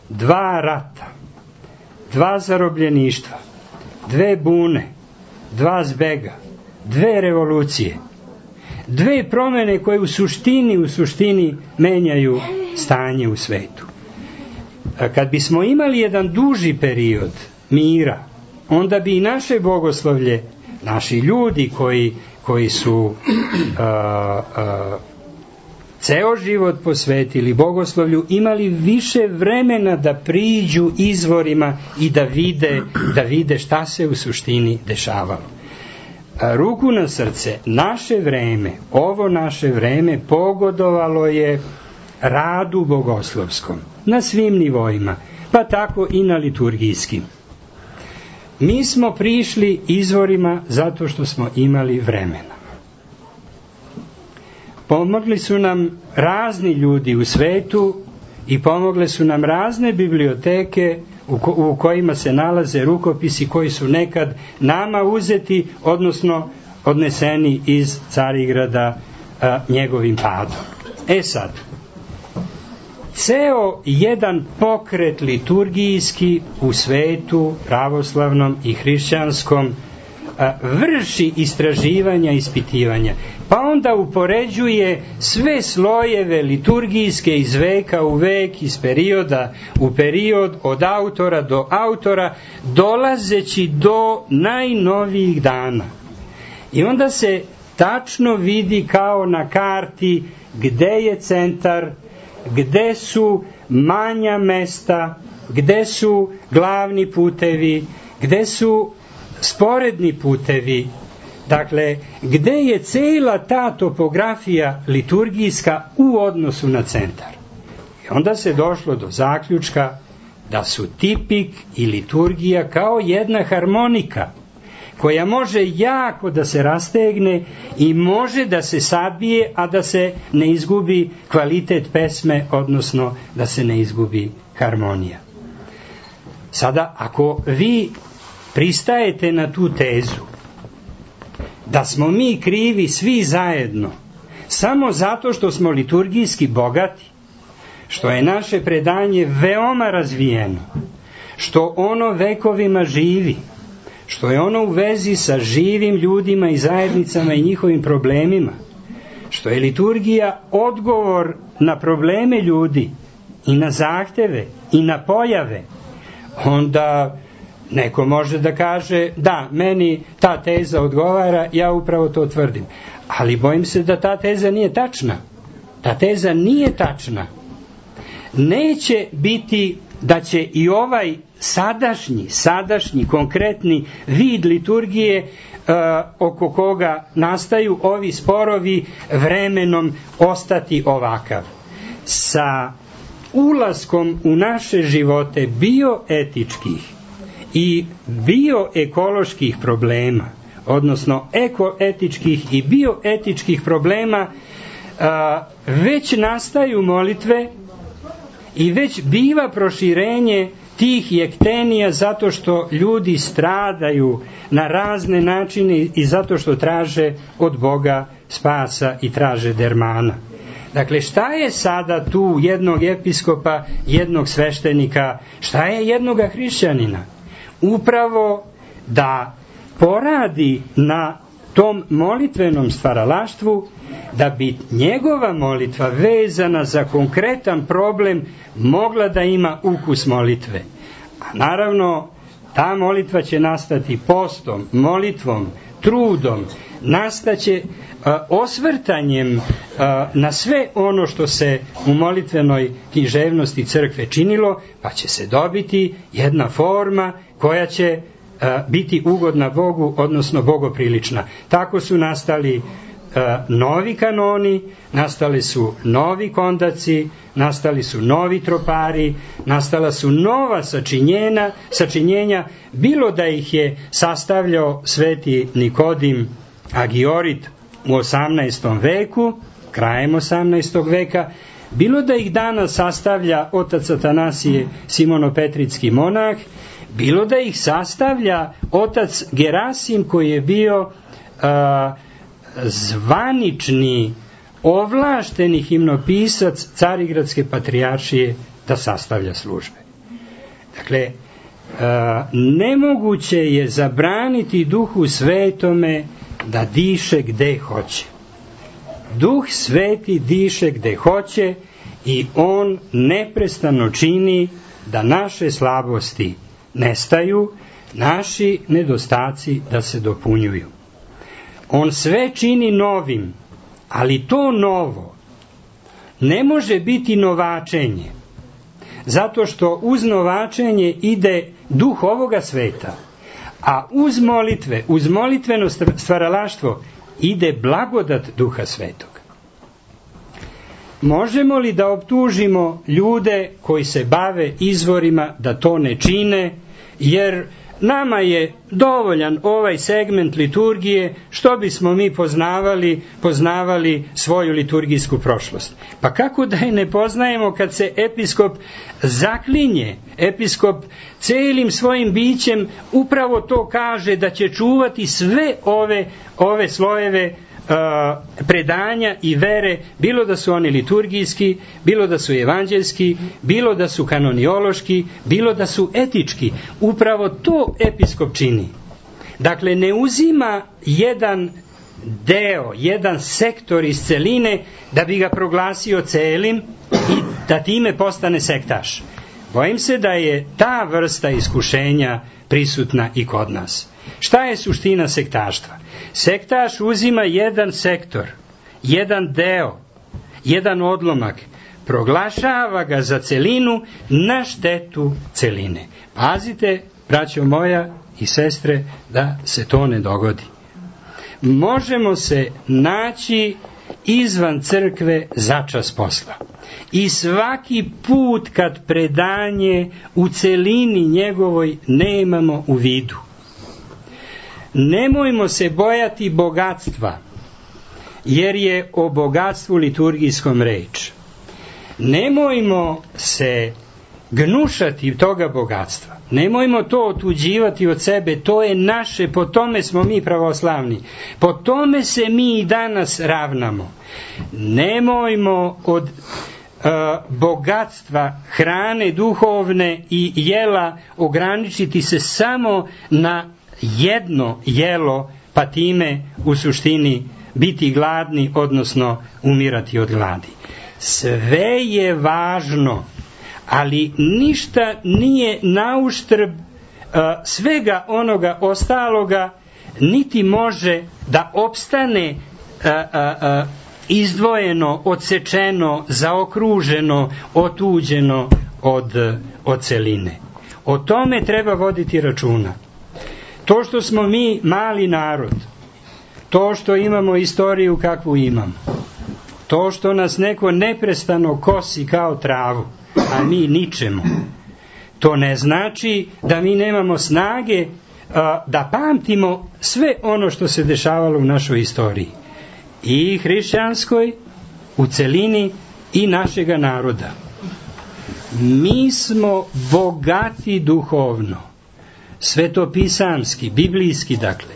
[SPEAKER 2] dva rata, dva zarobljeništva, dve bune, dva zbega, dve revolucije, dve promene koje u suštini menjaju stanje u svetu. Kad bismo imali jedan duži period mira, onda bi i naše bogoslovlje, naši ljudi koji su ceo život posvetili bogoslovlju, imali više vremena da priđu izvorima i da vide šta se u suštini dešavalo. Ruku na srce, ovo naše vreme pogodovalo je radu bogoslovskom na svim nivoima, pa tako i na liturgijskim. Mi smo prišli izvorima zato što smo imali vremena. Pomogli su nam razni ljudi u svetu i pomogle su nam razne biblioteke u kojima se nalaze rukopisi koji su nekad nama uzeti, odnosno odneseni iz Carigrada njegovim padom. Sad, ceo jedan pokret liturgijski u svetu pravoslavnom i hrišćanskom vrši istraživanja i ispitivanja, pa onda upoređuje sve slojeve liturgijske iz veka u vek, iz perioda u period, od autora do autora, dolazeći do najnovijih dana. I onda se tačno vidi kao na karti gde je centar, gde su manja mesta, gde su glavni putevi, gde su sporedni putevi, dakle, gde je cela ta topografija liturgijska u odnosu na centar. I onda se došlo do zaključka da su tipik i liturgija kao jedna harmonika koja može jako da se rastegne i može da se sabije, a da se ne izgubi kvalitet pesme, odnosno da se ne izgubi harmonija. Sada, ako vi pristajete na tu tezu da smo mi krivi svi zajedno samo zato što smo liturgijski bogati, što je naše predanje veoma razvijeno, što ono vekovima živi, što je ono u vezi sa živim ljudima i zajednicama i njihovim problemima, što je liturgija odgovor na probleme ljudi i na zahteve i na pojave, onda neko može da kaže, da, meni ta teza odgovara, ja upravo to tvrdim. Ali bojim se da ta teza nije tačna. Ta teza nije tačna. Neće biti da će i ovaj sadašnji, konkretni vid liturgije oko koga nastaju ovi sporovi vremenom ostati ovakav. Sa ulaskom u naše živote bioetičkih i bioekoloških problema, odnosno ekoetičkih i bioetičkih problema, već nastaju molitve i već biva proširenje tih jektenija zato što ljudi stradaju na razne načine i zato što traže od Boga spasa i traže dermana. Dakle, šta je sada tu jednog episkopa, jednog sveštenika, šta je jednoga hrišćanina? Upravo da poradi na tom molitvenom stvaralaštvu, da bi njegova molitva vezana za konkretan problem mogla da ima ukus molitve. A naravno, ta molitva će nastati postom, molitvom, trudom, nastaće osvrtanjem na sve ono što se u molitvenoj književnosti crkve činilo, pa će se dobiti jedna forma koja će biti ugodna Bogu, odnosno bogoprilična. Tako su nastali novi kanoni, nastali su novi kondaci, nastali su novi tropari, nastala su nova sačinjenja, bilo da ih je sastavljao sveti Nikodim Agiorit u 18. veku, krajem 18. veka, bilo da ih danas sastavlja otac Atanasije Simonopetrički monah, bilo da ih sastavlja otac Gerasim koji je bio zvanični, ovlašteni himnopisac Carigradske patrijaršije da sastavlja službe. Dakle, nemoguće je zabraniti Duhu Svetome da diše gde hoće. Duh Sveti diše gde hoće i on neprestano čini da naše slabosti nestaju, naši nedostaci da se dopunjuju. On sve čini novim, ali to novo ne može biti novačenje, zato što uz novačenje ide duh ovoga sveta, a uz molitveno stvaralaštvo ide blagodat Duha Svetog. Možemo li da optužimo ljude koji se bave izvorima da to ne čine, jer nama je dovoljan ovaj segment liturgije, što bismo mi poznavali svoju liturgijsku prošlost. Pa kako da je ne poznajemo kad se episkop zaklinje, episkop celim svojim bićem upravo to kaže da će čuvati sve ove slojeve predanja i vere, bilo da su oni liturgijski, bilo da su evanđelski, bilo da su kanoniološki, bilo da su etički. Upravo to episkop čini. Dakle, ne uzima jedan deo, jedan sektor iz celine da bi ga proglasio celim i da time postane sektaš. Bojim se da je ta vrsta iskušenja prisutna i kod nas. Šta je suština sektaštva? Sektaš uzima jedan sektor, jedan deo, jedan odlomak, proglašava ga za celinu na štetu celine. Pazite, braćo moja i sestre, da se to ne dogodi. Možemo se naći izvan crkve začas posla. I svaki put kad predanje u celini njegovoj nemamo u vidu. Nemojmo se bojati bogatstva, jer je o bogatstvu liturgijskom reč. Nemojmo se gnušati toga bogatstva. Nemojmo to otuđivati od sebe, to je naše, po tome smo mi pravoslavni. Po tome se mi i danas ravnamo. Nemojmo od bogatstva, hrane duhovne i jela ograničiti se samo na jedno jelo, pa time u suštini biti gladni, odnosno umirati od gladi. Sve je važno, ali ništa nije nauštrb svega onoga ostaloga, niti može da opstane izdvojeno, odsečeno, zaokruženo, otuđeno od celine. O tome treba voditi računa. To što smo mi mali narod, to što imamo istoriju kakvu imamo, to što nas neko neprestano kosi kao travu, a mi ničemu, to ne znači da mi nemamo snage da pamtimo sve ono što se dešavalo u našoj istoriji. I hrišćanskoj, u celini, i našega naroda. Mi smo bogati duhovno, svetopisamski, biblijski, dakle.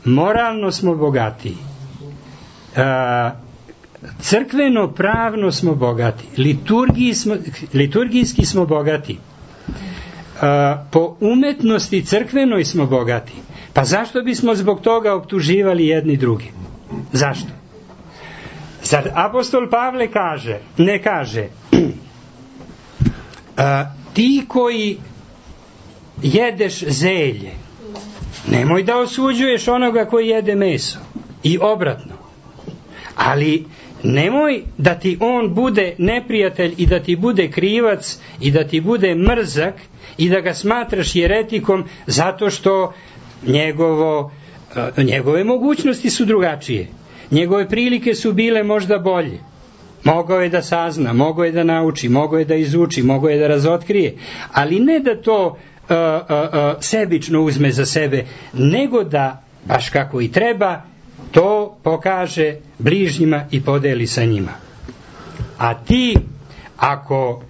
[SPEAKER 2] Moralno smo bogati. Crkveno pravno smo bogati. Liturgijski smo bogati. Po umetnosti crkvenoj smo bogati. Pa zašto bismo zbog toga optuživali jedni drugi? Zašto? Zar apostol Pavle ne kaže ti koji jedeš zelje, nemoj da osuđuješ onoga koji jede meso, i obratno. Ali nemoj da ti on bude neprijatelj i da ti bude krivac i da ti bude mrzak i da ga smatraš jeretikom zato što njegove mogućnosti su drugačije. Njegove prilike su bile možda bolje. Mogao je da sazna, mogao je da nauči, mogao je da izuči, mogao je da razotkrije, ali ne da to sebično uzme za sebe, nego da, baš kako i treba, to pokaže bližnjima i podeli sa njima. A ti, ako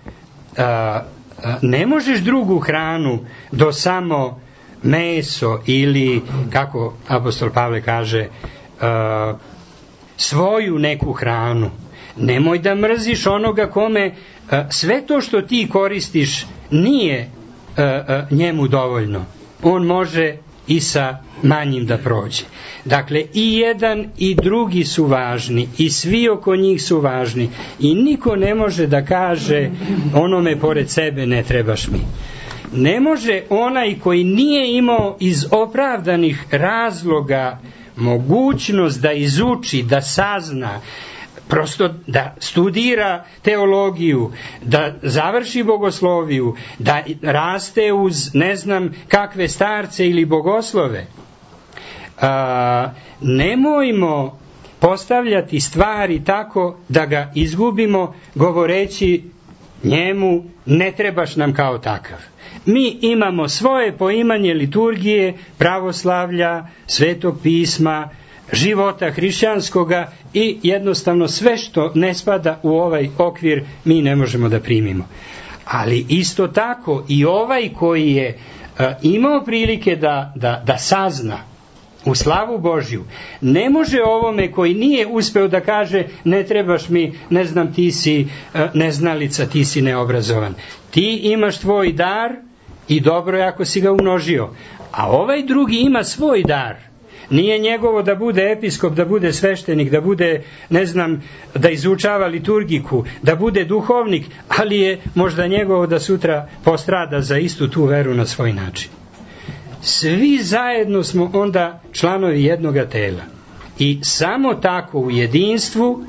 [SPEAKER 2] ne možeš drugu hranu do samo meso ili, kako apostol Pavle kaže, svoju neku hranu, nemoj da mrziš onoga kome sve to što ti koristiš nije njemu dovoljno. On može i sa manjim da prođe. Dakle, i jedan i drugi su važni i svi oko njih su važni i niko ne može da kaže onome pored sebe ne trebaš mi. Ne može onaj koji nije imao iz opravdanih razloga mogućnost da izuči, da sazna, prosto da studira teologiju, da završi bogosloviju, da raste uz ne znam kakve starce ili bogoslove. Nemojmo postavljati stvari tako da ga izgubimo govoreći njemu ne trebaš nam kao takav. Mi imamo svoje poimanje liturgije, pravoslavlja, svetog pisma, života hrišćanskoga i jednostavno sve što ne spada u ovaj okvir mi ne možemo da primimo. Ali isto tako i ovaj koji je imao prilike da sazna u slavu Božju, ne može ovome koji nije uspeo da kaže ne trebaš mi, ne znam, ti si neznalica, ti si neobrazovan. Ti imaš tvoj dar i dobro je ako si ga umnožio. A ovaj drugi ima svoj dar. Nije njegovo da bude episkop, da bude sveštenik, da bude, ne znam, da izučava liturgiku, da bude duhovnik, ali je možda njegovo da sutra postrada za istu tu veru na svoj način. Svi zajedno smo onda članovi jednoga tela. I samo tako u jedinstvu,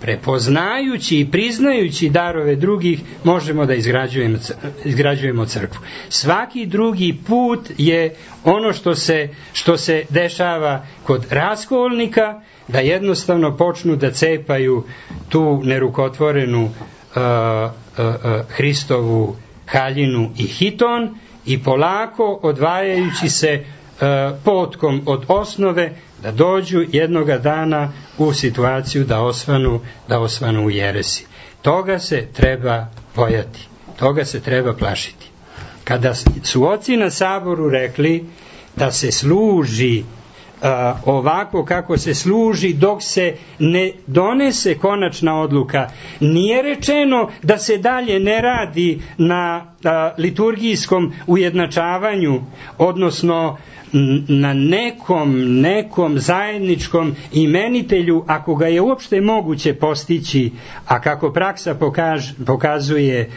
[SPEAKER 2] prepoznajući i priznajući darove drugih, možemo da izgrađujemo crkvu. Svaki drugi put je ono što se dešava kod raskolnika, da jednostavno počnu da cepaju tu nerukotvorenu Hristovu haljinu i hiton i polako odvajajući se potkom od osnove da dođu jednoga dana u situaciju da osvanu u jeresi. Toga se treba bojati, toga se treba plašiti. Kada su oci na saboru rekli da se služi ovako kako se služi dok se ne donese konačna odluka, nije rečeno da se dalje ne radi na liturgijskom ujednačavanju, odnosno na nekom zajedničkom imenitelju, ako ga je uopšte moguće postići, a kako praksa pokazuje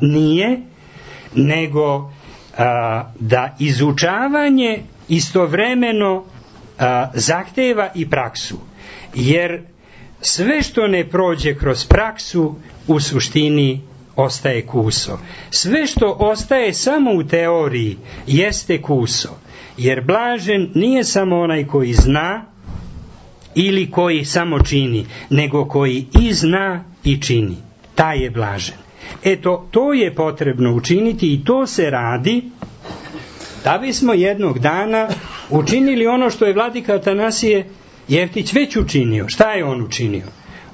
[SPEAKER 2] nije, nego da izučavanje istovremeno zahteva i praksu, jer sve što ne prođe kroz praksu u suštini ostaje kuso. Sve što ostaje samo u teoriji jeste kuso, jer blažen nije samo onaj koji zna ili koji samo čini, nego koji i zna i čini. Taj je blažen. Eto, to je potrebno učiniti i to se radi da bismo jednog dana učinili ono što je vladika Atanasije Jeftić već učinio. Šta je on učinio?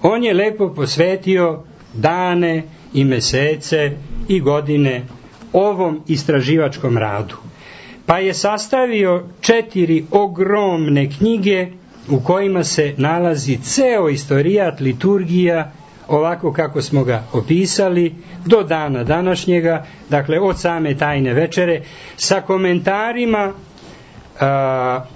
[SPEAKER 2] On je lepo posvetio dane i mesece i godine ovom istraživačkom radu. Pa je sastavio 4 ogromne knjige u kojima se nalazi ceo istorijat liturgija, ovako kako smo ga opisali, do dana današnjega, dakle od same tajne večere, sa komentarima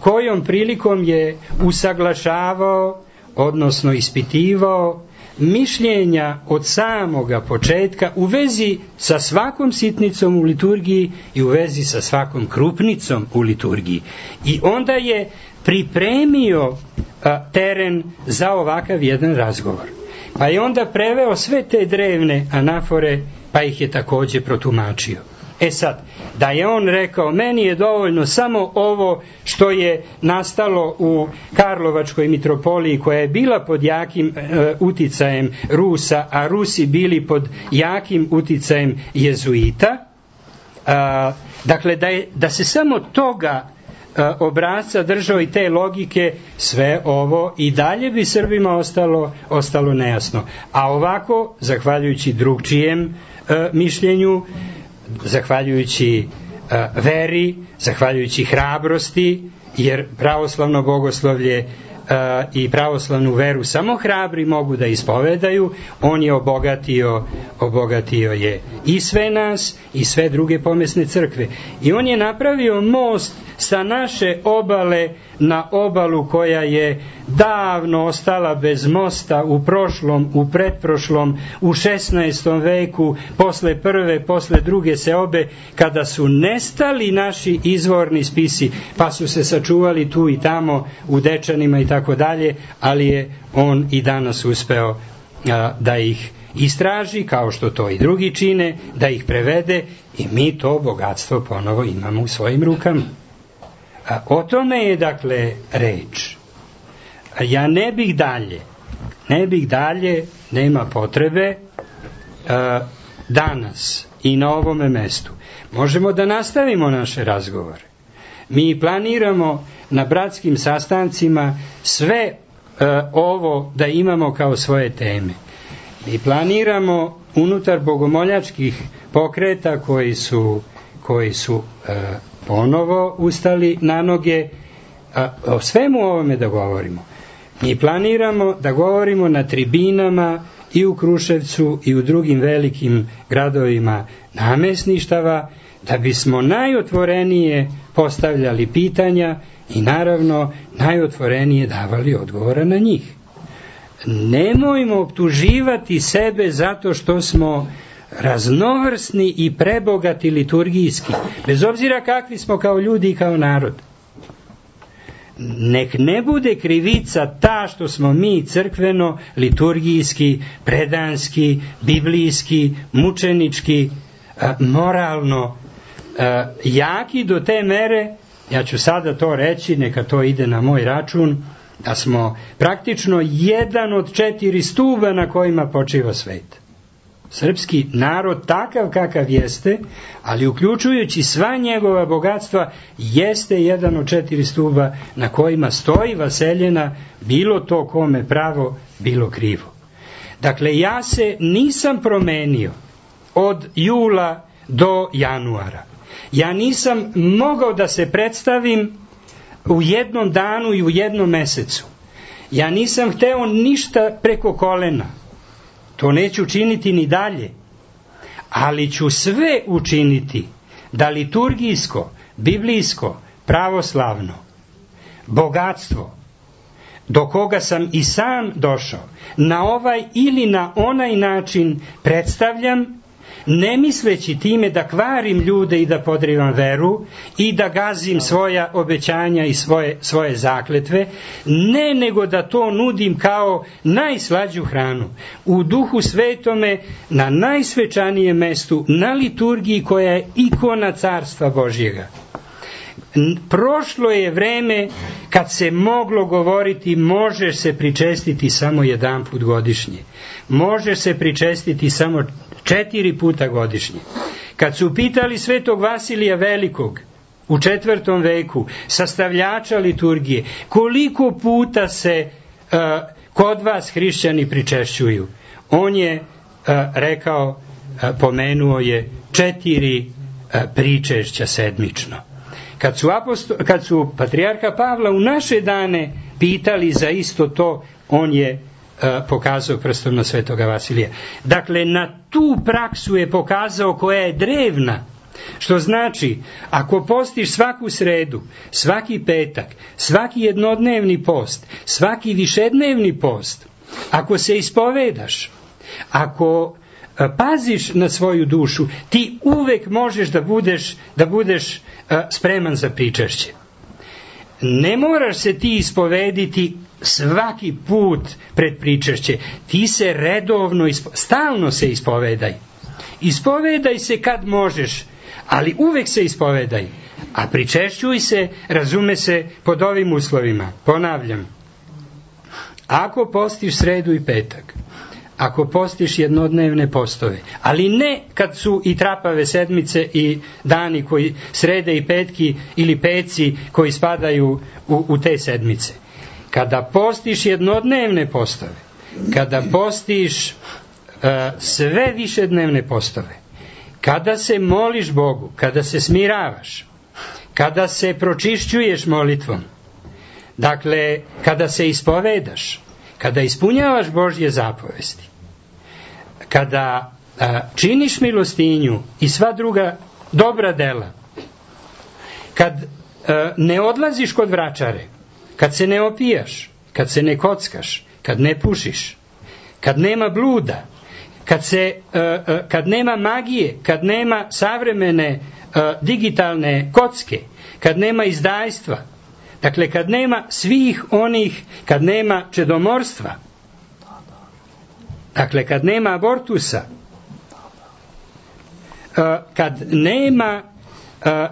[SPEAKER 2] kojom prilikom je usaglašavao, odnosno ispitivao mišljenja od samoga početka u vezi sa svakom sitnicom u liturgiji i u vezi sa svakom krupnicom u liturgiji. I onda je pripremio teren za ovakav jedan razgovor. Pa je onda preveo sve te drevne anafore, pa ih je takođe protumačio. E sad, da je on rekao, meni je dovoljno samo ovo što je nastalo u Karlovačkoj mitropoliji, koja je bila pod jakim uticajem Rusa, a Rusi bili pod jakim uticajem jezuita, dakle da se samo toga obrazca držao i te logike, sve ovo i dalje bi Srbima ostalo nejasno. A ovako, zahvaljujući drugčijem mišljenju, zahvaljujući veri, zahvaljujući hrabrosti, jer pravoslavno bogoslovlje i pravoslavnu veru samo hrabri mogu da ispovedaju, on je obogatio je i sve nas i sve druge pomesne crkve. I on je napravio most sa naše obale na obalu koja je davno ostala bez mosta u prošlom, u pretprošlom, u 16. veku, posle prve, posle druge seobe, kada su nestali naši izvorni spisi, pa su se sačuvali tu i tamo u Dečanima i tako dalje, ali je on i danas uspeo da ih istraži, kao što to i drugi čine, da ih prevede i mi to bogatstvo ponovo imamo u svojim rukama. O tome je dakle reč. Ja ne bih dalje, nema potrebe, danas i na ovome mestu možemo da nastavimo naše razgovore. Mi planiramo na bratskim sastancima sve ovo da imamo kao svoje teme. Mi planiramo unutar bogomoljačkih pokreta koji su ponovo ustali na noge, o svemu ovome da govorimo. Mi planiramo da govorimo na tribinama i u Kruševcu i u drugim velikim gradovima namesništava, da bismo najotvorenije postavljali pitanja i naravno najotvorenije davali odgovora na njih. Nemojmo optuživati sebe zato što smo raznovrsni i prebogati liturgijski, bez obzira kakvi smo kao ljudi i kao narod. Nek ne bude krivica ta što smo mi crkveno, liturgijski, predanski, biblijski, mučenički, moralno jaki do te mere, ja ću sada to reći, neka to ide na moj račun, da smo praktično jedan od 4 stuba na kojima počiva svet. Srpski narod takav kakav jeste, ali uključujući sva njegova bogatstva, jeste jedan od 4 stuba na kojima stoji vaseljena, bilo to kome pravo, bilo krivo. Dakle, ja se nisam promenio od jula do januara. Ja nisam mogao da se predstavim u jednom danu i u jednom mesecu. Ja nisam hteo ništa preko kolena. To neću činiti ni dalje, ali ću sve učiniti da liturgijsko, biblijsko, pravoslavno bogatstvo, do koga sam i sam došao, na ovaj ili na onaj način predstavljam, ne misleći time da kvarim ljude i da podrivam veru i da gazim svoja obećanja i svoje zakletve, ne, nego da to nudim kao najslađu hranu u Duhu Svetome, na najsvečanijem mestu, na liturgiji koja je ikona Carstva Božjega. Prošlo je vreme kad se moglo govoriti može se pričestiti samo jedan put godišnje, može se pričestiti samo 4 puta godišnje. Kad su pitali svetog Vasilija Velikog u 4. veku, sastavljača liturgije, koliko puta se kod vas hrišćani pričešćuju, on je rekao, pomenuo je 4 pričešća sedmično. Kad su patrijarha Pavla u naše dane pitali za isto to, on je pokazao prstom na svetoga Vasilija. Dakle, na tu praksu je pokazao koja je drevna, što znači, ako postiš svaku sredu, svaki petak, svaki jednodnevni post, svaki višednevni post, ako se ispovedaš, ako paziš na svoju dušu, ti uvek možeš da budeš spreman za pričešće. Ne moraš se ti ispovediti svaki put pred pričešće. Ti se redovno, stalno se ispovedaj. Ispovedaj se kad možeš, ali uvek se ispovedaj, a pričešćuj se, razume se, pod ovim uslovima. Ponavljam, ako postiš sredu i petak, ako postiš jednodnevne postove, ali ne kad su i trapave sedmice i dani koji srede i petki ili peci koji spadaju u te sedmice. Kada postiš jednodnevne postove, kada postiš sve višednevne postove, kada se moliš Bogu, kada se smiravaš, kada se pročišćuješ molitvom, dakle, kada se ispovedaš, kada ispunjavaš Božje zapovesti, kada činiš milostinju i sva druga dobra dela, kad ne odlaziš kod vračare, kad se ne opijaš, kad se ne kockaš, kad ne pušiš, kad nema bluda, kad nema magije, kad nema savremene digitalne kocke, kad nema izdajstva, dakle kad nema svih onih, kad nema čedomorstva, dakle kad nema abortusa, kad nema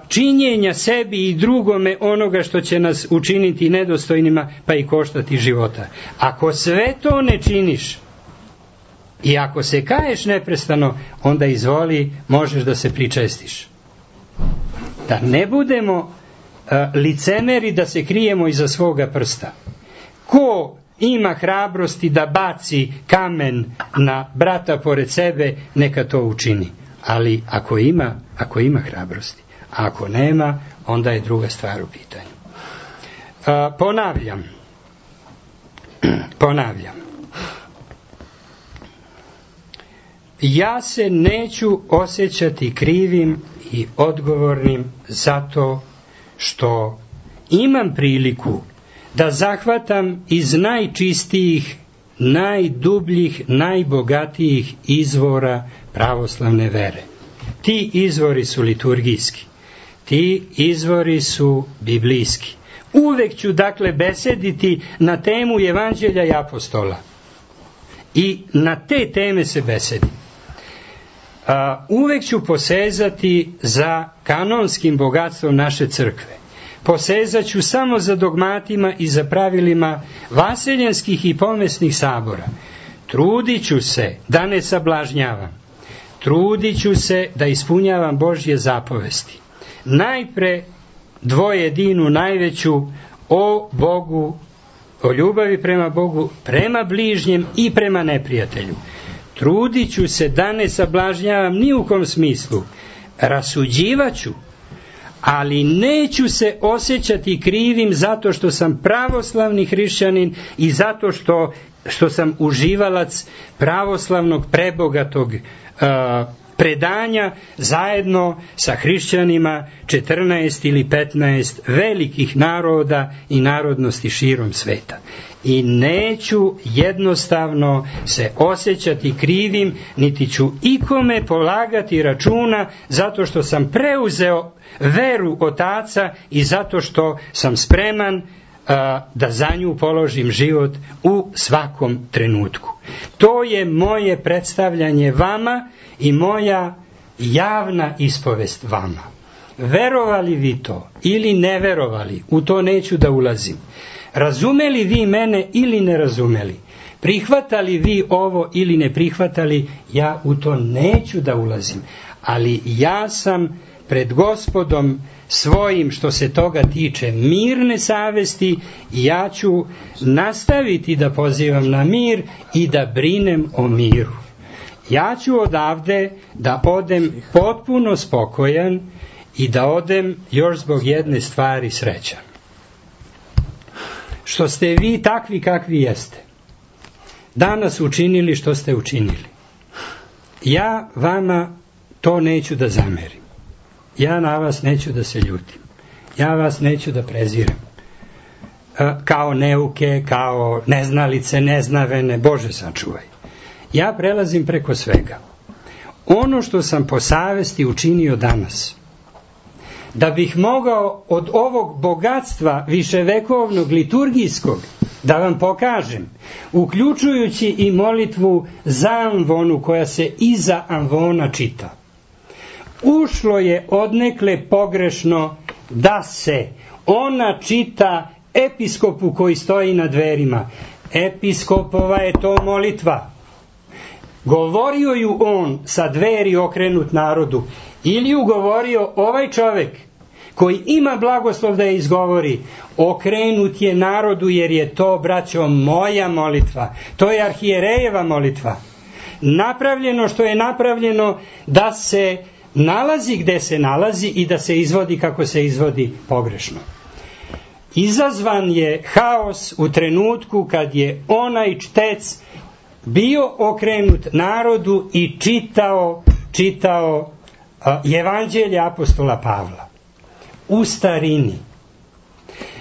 [SPEAKER 2] činjenja sebi i drugome onoga što će nas učiniti nedostojnima pa i koštati života. Ako sve to ne činiš i ako se kaješ neprestano, onda izvoli, možeš da se pričestiš. Da ne budemo licemeri da se krijemo iza svoga prsta. Ko ima hrabrosti da baci kamen na brata pored sebe, neka to učini. Ali ako ima hrabrosti, a ako nema, onda je druga stvar u pitanju. Ponavljam. Ja se neću osjećati krivim i odgovornim zato što imam priliku da zahvatam iz najčistijih, najdubljih, najbogatijih izvora pravoslavne vere. Ti izvori su liturgijski, ti izvori su biblijski. Uvek ću dakle besediti na temu Evanđelja i apostola i na te teme se besedim. Uvek ću posezati za kanonskim bogatstvom naše crkve. Posezat ću samo za dogmatima i za pravilima vaseljenskih i pomesnih sabora. Trudit ću se da ne sablažnjavam. Trudit ću se da ispunjavam Božje zapovesti. Najpre dvojedinu najveću o Bogu, o ljubavi prema Bogu, prema bližnjem i prema neprijatelju. Trudit ću se da ne sablažnjavam ni u kom smislu. Rasuđivaću, ali neću se osjećati krivim zato što sam pravoslavni hrišćanin i zato što sam uživalac pravoslavnog prebogatog predanja zajedno sa hrišćanima 14 ili 15 velikih naroda i narodnosti širom sveta. I neću jednostavno se osjećati krivim, niti ću ikome polagati računa zato što sam preuzeo veru otaca i zato što sam spreman da za nju položim život u svakom trenutku. To je moje predstavljanje vama i moja javna ispovest vama. Verovali vi to ili ne verovali, u to neću da ulazim. Razumeli vi mene ili ne razumeli, prihvatali vi ovo ili ne prihvatali, ja u to neću da ulazim. Ali ja sam pred Gospodom svojim, što se toga tiče, mirne savesti, i ja ću nastaviti da pozivam na mir i da brinem o miru. Ja ću odavde da odem potpuno spokojan i da odem još zbog jedne stvari srećan. Što ste vi takvi kakvi jeste, danas učinili što ste učinili. Ja vama to neću da zamerim. Ja na vas neću da se ljutim. Ja vas neću da prezirem. Kao neuke, kao neznalice, neznavene, Bože sačuvaj. Ja prelazim preko svega. Ono što sam po savesti učinio danas, da bih mogao od ovog bogatstva viševekovnog liturgijskog da vam pokažem, uključujući i molitvu za amvonu koja se iza amvona čita. ušlo je odnekle pogrešno da se ona čita episkopu koji stoji na dverima. Episkopova je to molitva. Govorio ju on sa dveri okrenut narodu, ili ju govorio ovaj čovek koji ima blagoslov da je izgovori, okrenut je narodu, jer je to, braćo, moja molitva. To je arhijerejeva molitva. Napravljeno što je napravljeno da se nalazi gde se nalazi i da se izvodi kako se izvodi pogrešno. Izazvan je haos u trenutku kad je onaj čtec bio okrenut narodu i čitao evanđelje apostola Pavla u starini.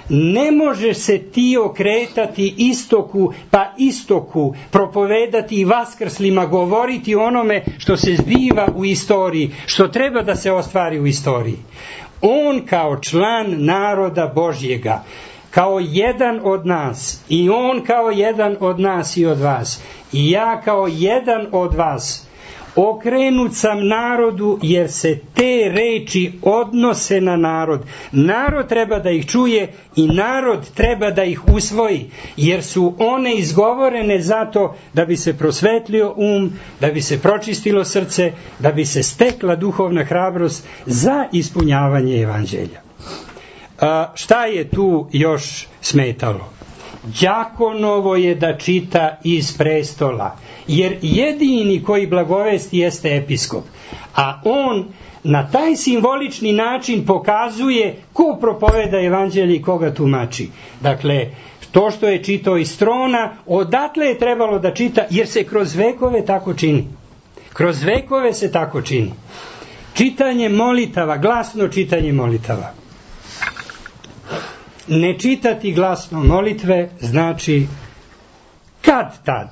[SPEAKER 2] Ne možeš se ti okretati istoku pa istoku, propovedati i vaskrslima, govoriti onome što se zbiva u istoriji, što treba da se ostvari u istoriji. On kao član naroda Božjega, kao jedan od nas, i on kao jedan od nas i od vas, i ja kao jedan od vas, okrenut sam narodu, jer se te reči odnose na narod. Narod treba da ih čuje i narod treba da ih usvoji, jer su one izgovorene zato da bi se prosvetlio da bi se pročistilo srce, da bi se stekla duhovna hrabrost za ispunjavanje evanđelja. Šta je tu još smetalo? Đakonovo je da čita iz prestola, jer jedini koji blagovesti jeste episkop, a on na taj simbolični način pokazuje ko propoveda evanđelje i koga tumači. Dakle, to što je čitao iz trona, odatle je trebalo da čita, jer se kroz vekove tako čini. Kroz vekove se tako čini. Čitanje molitava, glasno čitanje molitava. Ne čitati glasno molitve znači kad tad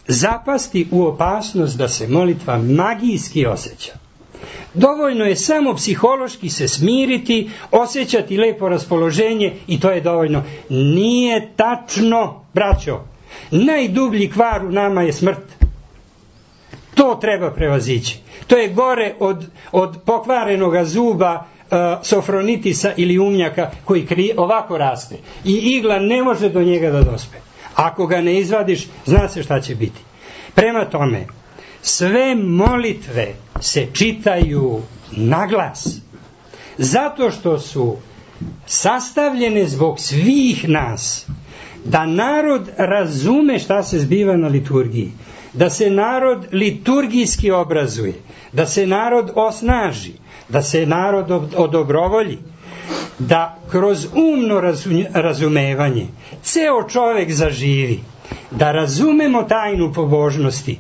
[SPEAKER 2] zapasti u opasnost da se molitva magijski osjeća. Dovoljno je samo psihološki se smiriti, osjećati lepo raspoloženje i to je dovoljno. Nije tačno, braćo. Najdublji kvar u nama je smrt. To treba prevazići. To je gore od pokvarenoga zuba, sofronitisa ili umnjaka koji ovako raste i igla ne može do njega da dospe. Ako ga ne izvadiš, zna se šta će biti. Prema tome, sve molitve se čitaju na glas, zato što su sastavljene zbog svih nas, da narod razume šta se zbiva na liturgiji, da se narod liturgijski obrazuje, da se narod osnaži, da se narod odobrovolji, da kroz umno razumevanje ceo čovek zaživi, da razumemo tajnu pobožnosti,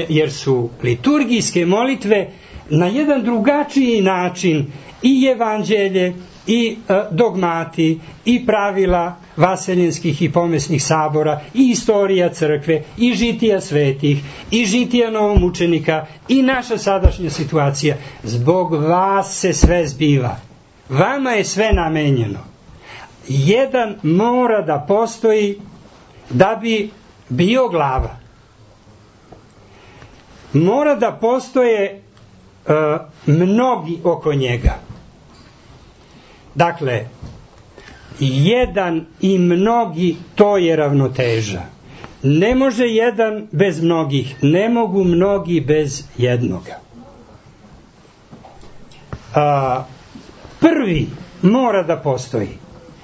[SPEAKER 2] jer su liturgijske molitve na jedan drugačiji način i evanđelje, i dogmati, i pravila vaseljenskih i pomesnih sabora, i istorija crkve, i žitija svetih, i žitija novomučenika, i naša sadašnja situacija. Zbog vas se sve zbiva. Vama je sve namenjeno. Jedan mora da postoji da bi bio glava. Mora da postoje mnogi oko njega. Dakle, jedan i mnogi, to je ravnoteža. Ne može jedan bez mnogih, ne mogu mnogi bez jednoga. Prvi mora da postoji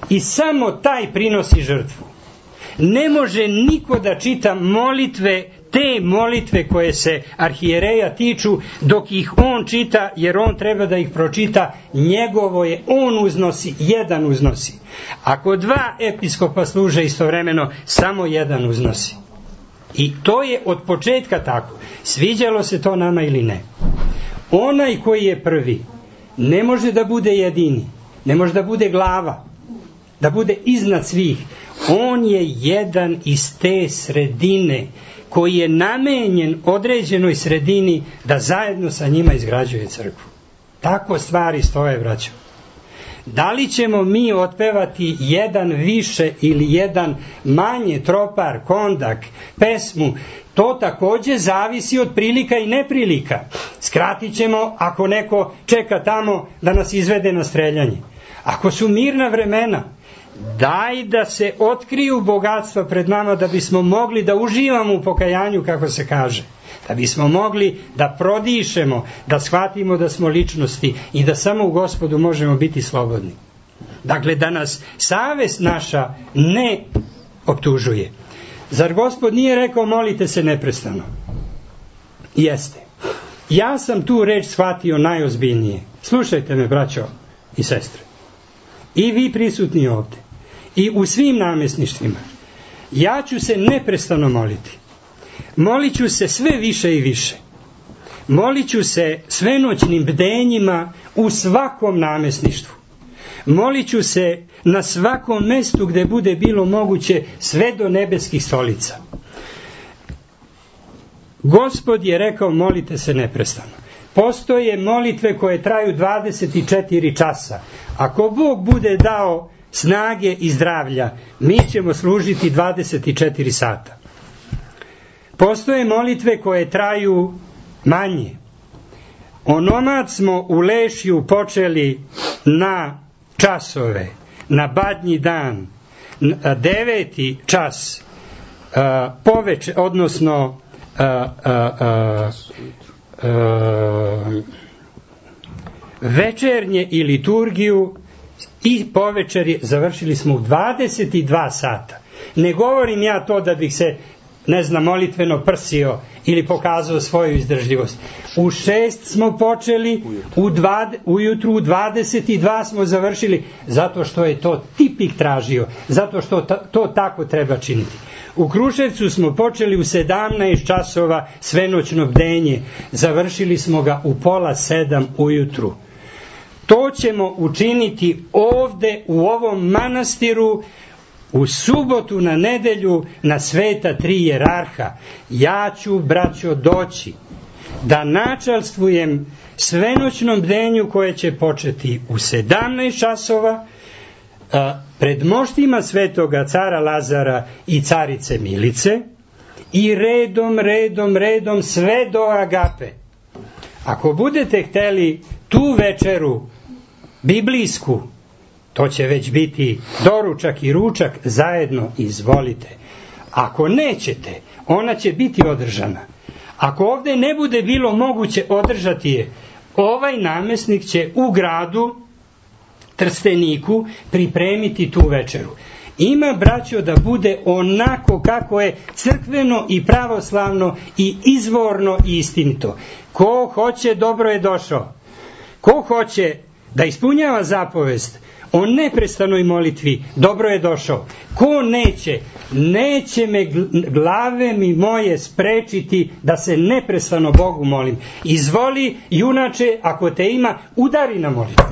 [SPEAKER 2] i samo taj prinosi žrtvu. Ne može niko da čita molitve, te molitve koje se arhijereja tiču, dok ih on čita, jer on treba da ih pročita, njegovo je, on uznosi, jedan uznosi. Ako dva episkopa služe istovremeno, samo jedan uznosi. I to je od početka tako. Sviđalo se to nama ili ne. Onaj koji je prvi ne može da bude jedini, ne može da bude glava, da bude iznad svih. On je jedan iz te sredine koji je namenjen određenoj sredini da zajedno sa njima izgrađuje crkvu. Tako stvari stoje, braćo. Da li ćemo mi otpevati jedan više ili jedan manje, tropar, kondak, pesmu, to takođe zavisi od prilika i neprilika. Skratit ćemo ako neko čeka tamo da nas izvede na streljanje. Ako su mirna vremena, daj da se otkriju bogatstva pred nama da bismo mogli da uživamo u pokajanju, kako se kaže. Da bismo mogli da prodišemo, da shvatimo da smo ličnosti i da samo u Gospodu možemo biti slobodni. Dakle, da nas savest naša ne optužuje. Zar Gospod nije rekao molite se neprestano? Jeste. Ja sam tu reč shvatio najozbiljnije. Slušajte me, braćo i sestre. I vi prisutni ovde. I u svim namjesništvima. Ja ću se neprestano moliti. Molit ću se sve više i više. Molit ću se svenoćnim bdenjima u svakom namjesništvu. Molit ću se na svakom mestu gde bude bilo moguće, sve do nebeskih stolica. Gospod je rekao molite se neprestano. Postoje molitve koje traju 24 časa. Ako Bog bude dao snage i zdravlja, mi ćemo služiti 24 sata. Postoje molitve koje traju manje. Onomad smo u Lešju počeli na časove, na badnji dan, 9. čas poveče, odnosno večernje i liturgiju i povečer završili smo u 22 sata. Ne govorim ja to da bih se molitveno prsio ili pokazao svoju izdržljivost. U 6 smo počeli, ujutru u 22 smo završili, zato što je to tipik tražio, zato što to tako treba činiti. U Kruševcu smo počeli u 17 časova svenoćno bdenje, završili smo ga u 6:30 ujutru. To ćemo učiniti ovde u ovom manastiru u subotu na nedelju na sveta 3 jerarha. Ja ću, braćo, doći da načalstvujem svenoćnom bdenju koje će početi u 17 časova pred moštima svetoga cara Lazara i carice Milice i redom sve do Agape. Ako budete hteli tu večeru biblijsku, to će već biti doručak i ručak zajedno, izvolite. Ako nećete, ona će biti održana. Ako ovde ne bude bilo moguće održati je, ovaj namjesnik će u gradu Trsteniku pripremiti tu večeru. Ima, braćo, da bude onako kako je crkveno i pravoslavno i izvorno i istinito. Ko hoće, dobro je došao. Ko hoće da ispunjava zapovest o neprestanoj molitvi, dobro je došao. Ko neće me glave mi moje sprečiti da se neprestano Bogu molim. Izvoli, junače, ako te ima, udari na molitvu.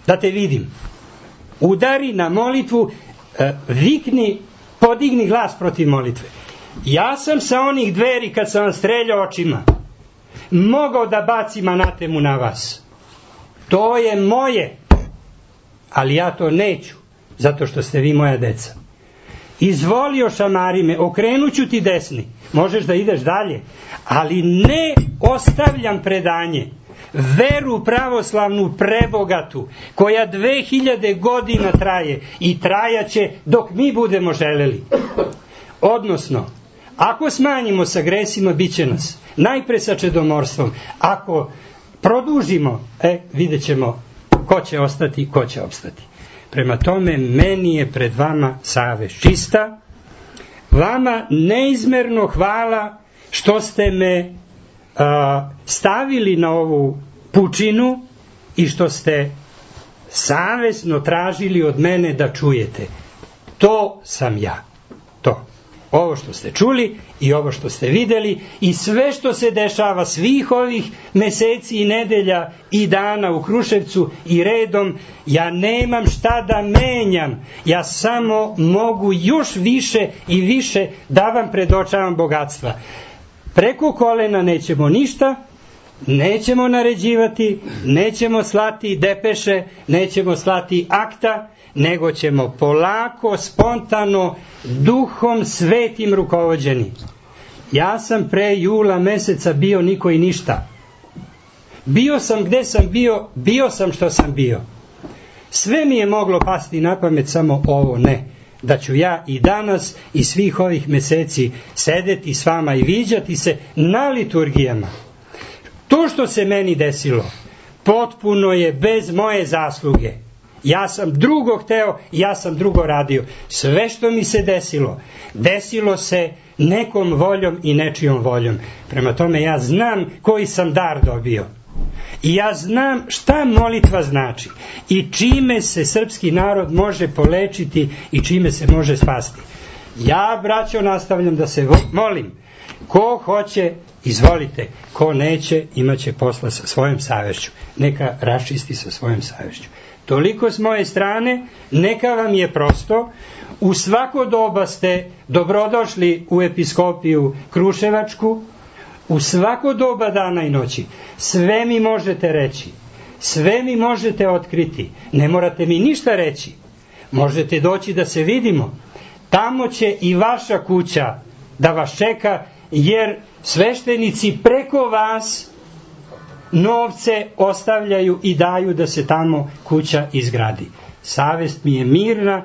[SPEAKER 2] Da te vidim. Udari na molitvu, vikni, podigni glas protiv molitve. Ja sam sa onih dveri, kad sam vam streljao očima, mogao da bacim anatemu na vas. To je moje. Ali ja to neću, zato što ste vi moja deca. Izvolio šamari me, okrenuću ti desni, možeš da ideš dalje, ali ne ostavljam predanje, veru pravoslavnu prebogatu, koja 2000 godina traje i trajaće dok mi budemo želeli. Odnosno, ako smanjimo sa gresima, bit će nas. Najpre sa čedomorstvom. Ako produžimo, vidjet ćemo ko će ostati, ko će opstati. Prema tome, meni je pred vama savest čista. Vama neizmerno hvala što ste me stavili na ovu pučinu i što ste savesno tražili od mene da čujete. To sam ja. To. Ovo što ste čuli i ovo što ste videli i sve što se dešava svih ovih meseci i nedelja i dana u Kruševcu i redom, ja nemam šta da menjam. Ja samo mogu još više i više da vam predočavam bogatstva. Preko kolena nećemo ništa, Nećemo naređivati, nećemo slati depeše, nećemo slati akta, nego ćemo polako, spontano, duhom svetim rukovođeni. Ja sam pre jula meseca bio niko i ništa. Bio sam gde sam bio, bio sam što sam bio. Sve mi je moglo pasti na pamet, samo ovo ne. Da ću ja i danas i svih ovih meseci sedeti s vama i viđati se na liturgijama. To što se meni desilo, potpuno je bez moje zasluge. Ja sam drugo hteo, ja sam drugo radio. Sve što mi se desilo, desilo se nekom voljom i nečijom voljom. Prema tome ja znam koji sam dar dobio. I ja znam šta molitva znači i čime se srpski narod može polečiti i čime se može spasti. Ja, braćo, nastavljam da se molim. Ko hoće, izvolite. Ko neće, imaće posla sa svojom savješću. Neka raščisti sa svojom savješću. Toliko s moje strane, neka vam je prosto. U svako doba ste dobrodošli u episkopiju Kruševačku, u svako doba dana i noći. Sve mi možete reći, sve mi možete otkriti, ne morate mi ništa reći. Možete doći da se vidimo. Tamo će i vaša kuća da vas čeka, jer sveštenici preko vas novce ostavljaju i daju da se tamo kuća izgradi. Savest mi je mirna,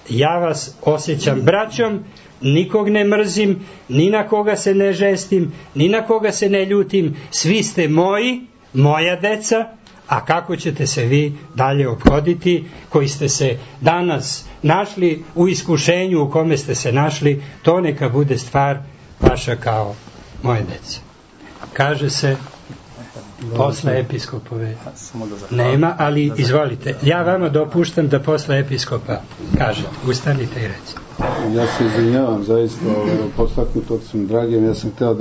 [SPEAKER 2] ja vas osjećam braćom, nikog ne mrzim, ni na koga se ne žestim, ni na koga se ne ljutim, svi ste moji, moja deca, a kako ćete se vi dalje ophoditi, koji ste se danas našli u iskušenju u kome ste se našli, to neka bude stvar vaša kao moje dece. Kaže se posle episkopove nema, ali izvolite, ja vama dopuštam da posle episkopa kažete, ustanite i recite.
[SPEAKER 3] Ja se izvinjavam, zaista postaknut od svim dragim, ja sam hteo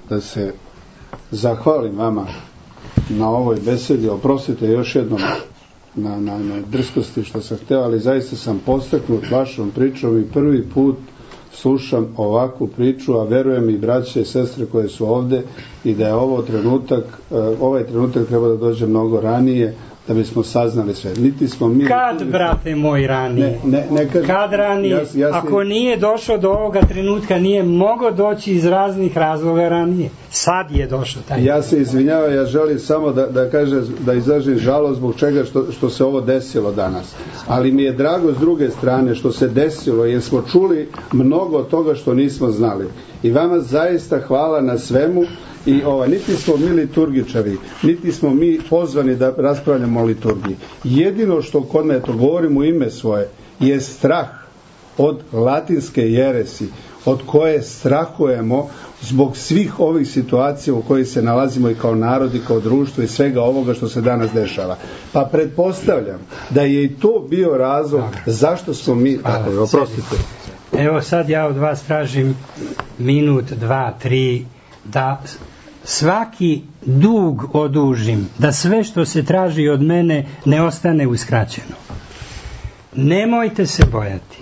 [SPEAKER 3] da se zahvalim vama na ovoj besedi, oprostite još jednom na drskosti što sam hteo, ali zaista sam postaknut vašom pričom i prvi put slušam ovakvu priču, a verujem i braće i sestre koje su ovde i da je ovaj trenutak treba da dođe mnogo ranije da bismo saznali sve. Niti smo mi...
[SPEAKER 2] Kad, brate moj, ranije? Kad ranije? Ako nije došao do ovoga trenutka, nije mogao doći iz raznih razloga ranije. Sad je došao taj.
[SPEAKER 3] Ja se izvinjavam, ja želim samo da izražim žalost zbog čega što se ovo desilo danas. Ali mi je drago s druge strane što se desilo, jer smo čuli mnogo toga što nismo znali. I vama zaista hvala na svemu. I niti smo mi liturgičari, niti smo mi pozvani da raspravljamo o liturgiji. Jedino što kod mene, to govorim u ime svoje, je strah od latinske jeresi, od koje strahujemo zbog svih ovih situacija u kojih se nalazimo i kao narod i kao društvo i svega ovoga što se danas dešava. Pa pretpostavljam da je i to bio razlog zašto smo mi... Oprostite.
[SPEAKER 2] Evo sad ja od vas tražim minut, 2, 3, da svaki dug odužim, da sve što se traži od mene ne ostane uskraćeno. Nemojte se bojati.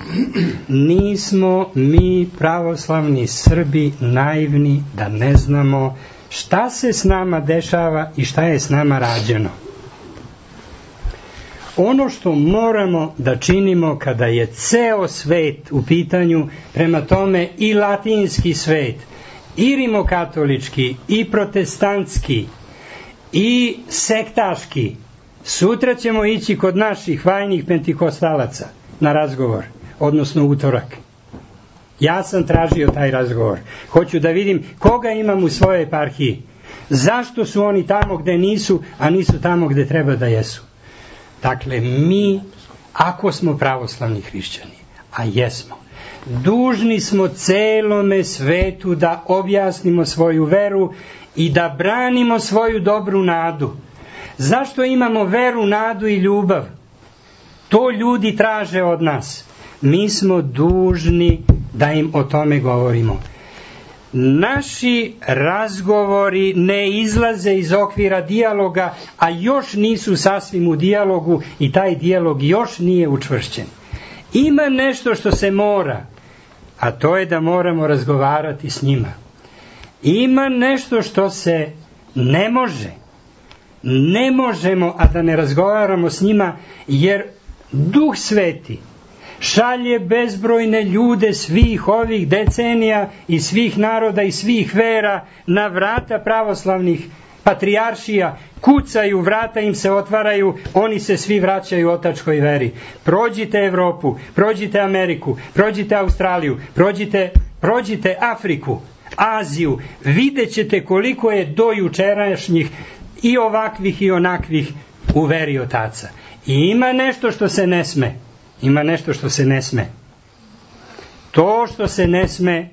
[SPEAKER 2] Nismo mi pravoslavni Srbi naivni da ne znamo šta se s nama dešava i šta je s nama rađeno. Ono što moramo da činimo kada je ceo svet u pitanju, prema tome i latinski svet, i rimokatolički, i protestantski, i sektaški, sutra ćemo ići kod naših vajnih pentikostalaca na razgovor, odnosno utorak. Ja sam tražio taj razgovor. Hoću da vidim koga imam u svojoj eparhiji. Zašto su oni tamo gde nisu, a nisu tamo gde treba da jesu. Dakle, mi, ako smo pravoslavni hrišćani, a jesmo, dužni smo celome svetu da objasnimo svoju veru i da branimo svoju dobru nadu. Zašto imamo veru, nadu i ljubav? To ljudi traže od nas. Mi smo dužni da im o tome govorimo. Naši razgovori ne izlaze iz okvira dijaloga, a još nisu sasvim u dijalogu i taj dijalog još nije učvršćen. Ima nešto što se mora, a to je da moramo razgovarati s njima. Ima nešto što se Ne može. Ne možemo, a da ne razgovaramo s njima, jer Duh Sveti šalje bezbrojne ljude svih ovih decenija i svih naroda i svih vera na vrata pravoslavnih patrijaršija, kucaju, vrata im se otvaraju, oni se svi vraćaju otačkoj veri. Prođite Evropu, prođite Ameriku, prođite Australiju, prođite Afriku, Aziju, vidjet ćete koliko je do jučerašnjih i ovakvih i onakvih u veri otaca. I ima nešto što se ne sme. Ima nešto što se ne sme. To što se ne sme,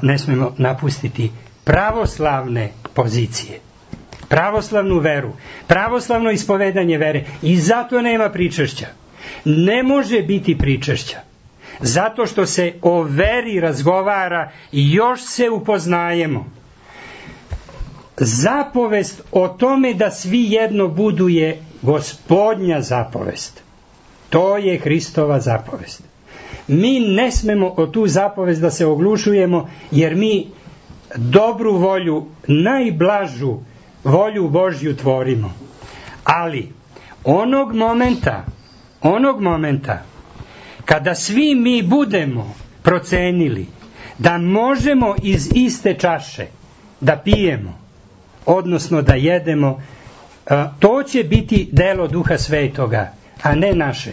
[SPEAKER 2] ne smemo napustiti pravoslavne pozicije, pravoslavnu veru, pravoslavno ispovedanje vere. I zato nema pričešća. Ne može biti pričešća. Zato što se o veri razgovara i još se upoznajemo. Zapovest o tome da svi jedno budu je Gospodnja zapovest. To je Hristova zapovest. Mi ne smemo o tu zapovest da se oglušujemo, jer mi dobru volju, najblažu volju Božju tvorimo. Ali onog momenta kada svi mi budemo procenili da možemo iz iste čaše da pijemo, odnosno da jedemo, to će biti delo Duha Svetoga, a ne naše.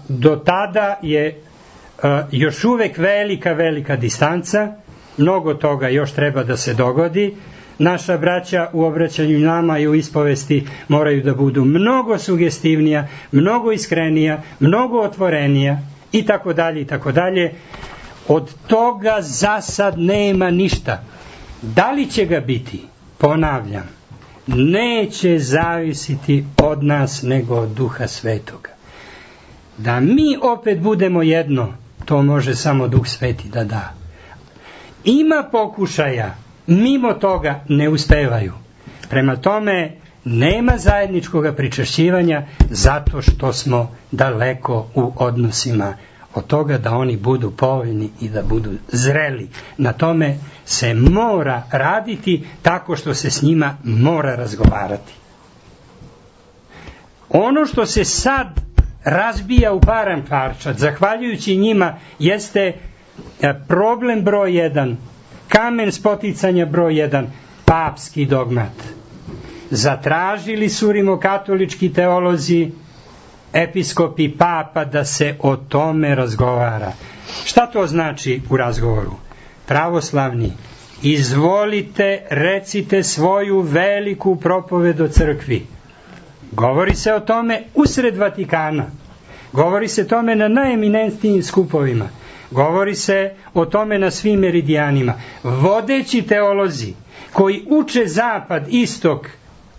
[SPEAKER 2] Do tada je još uvek velika distanca, mnogo toga još treba da se dogodi. Naša braća u obraćanju nama i u ispovesti moraju da budu mnogo sugestivnija, mnogo iskrenija, mnogo otvorenija i tako dalje. Od toga za sad nema ništa. Da li će ga biti? Ponavljam, neće zavisiti od nas nego od Duha Svetoga. Da mi opet budemo jedno, to može samo Duh Sveti da da. Ima pokušaja, mimo toga ne uspevaju. Prema tome, nema zajedničkog pričešćivanja zato što smo daleko u odnosima od toga da oni budu povoljni i da budu zreli. Na tome se mora raditi tako što se s njima mora razgovarati. Ono što se sad razbija u param parčad, zahvaljujući njima, jeste problem broj 1, kamen spoticanja broj 1, papski dogmat. Zatražili su rimokatolički teolozi, episkopi, papa da se o tome razgovara. Šta to znači u razgovoru? Pravoslavni, izvolite, recite svoju veliku propoved o crkvi. Govori se o tome usred Vatikana. Govori se o tome na najeminentnijim skupovima. Govori se o tome na svim meridijanima. Vodeći teolozi koji uče zapad, istok,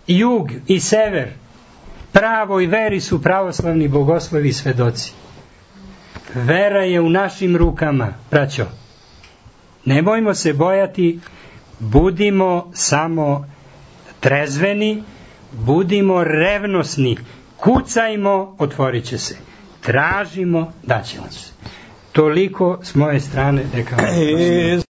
[SPEAKER 2] jug i sever pravoj veri su pravoslavni bogoslovi i svedoci. Vera je u našim rukama, braćo. Nemojmo se bojati, budimo samo trezveni, budimo revnosni, kucajmo, otvorit će se. Tražimo, daće nam se. Toliko s moje strane, neka vam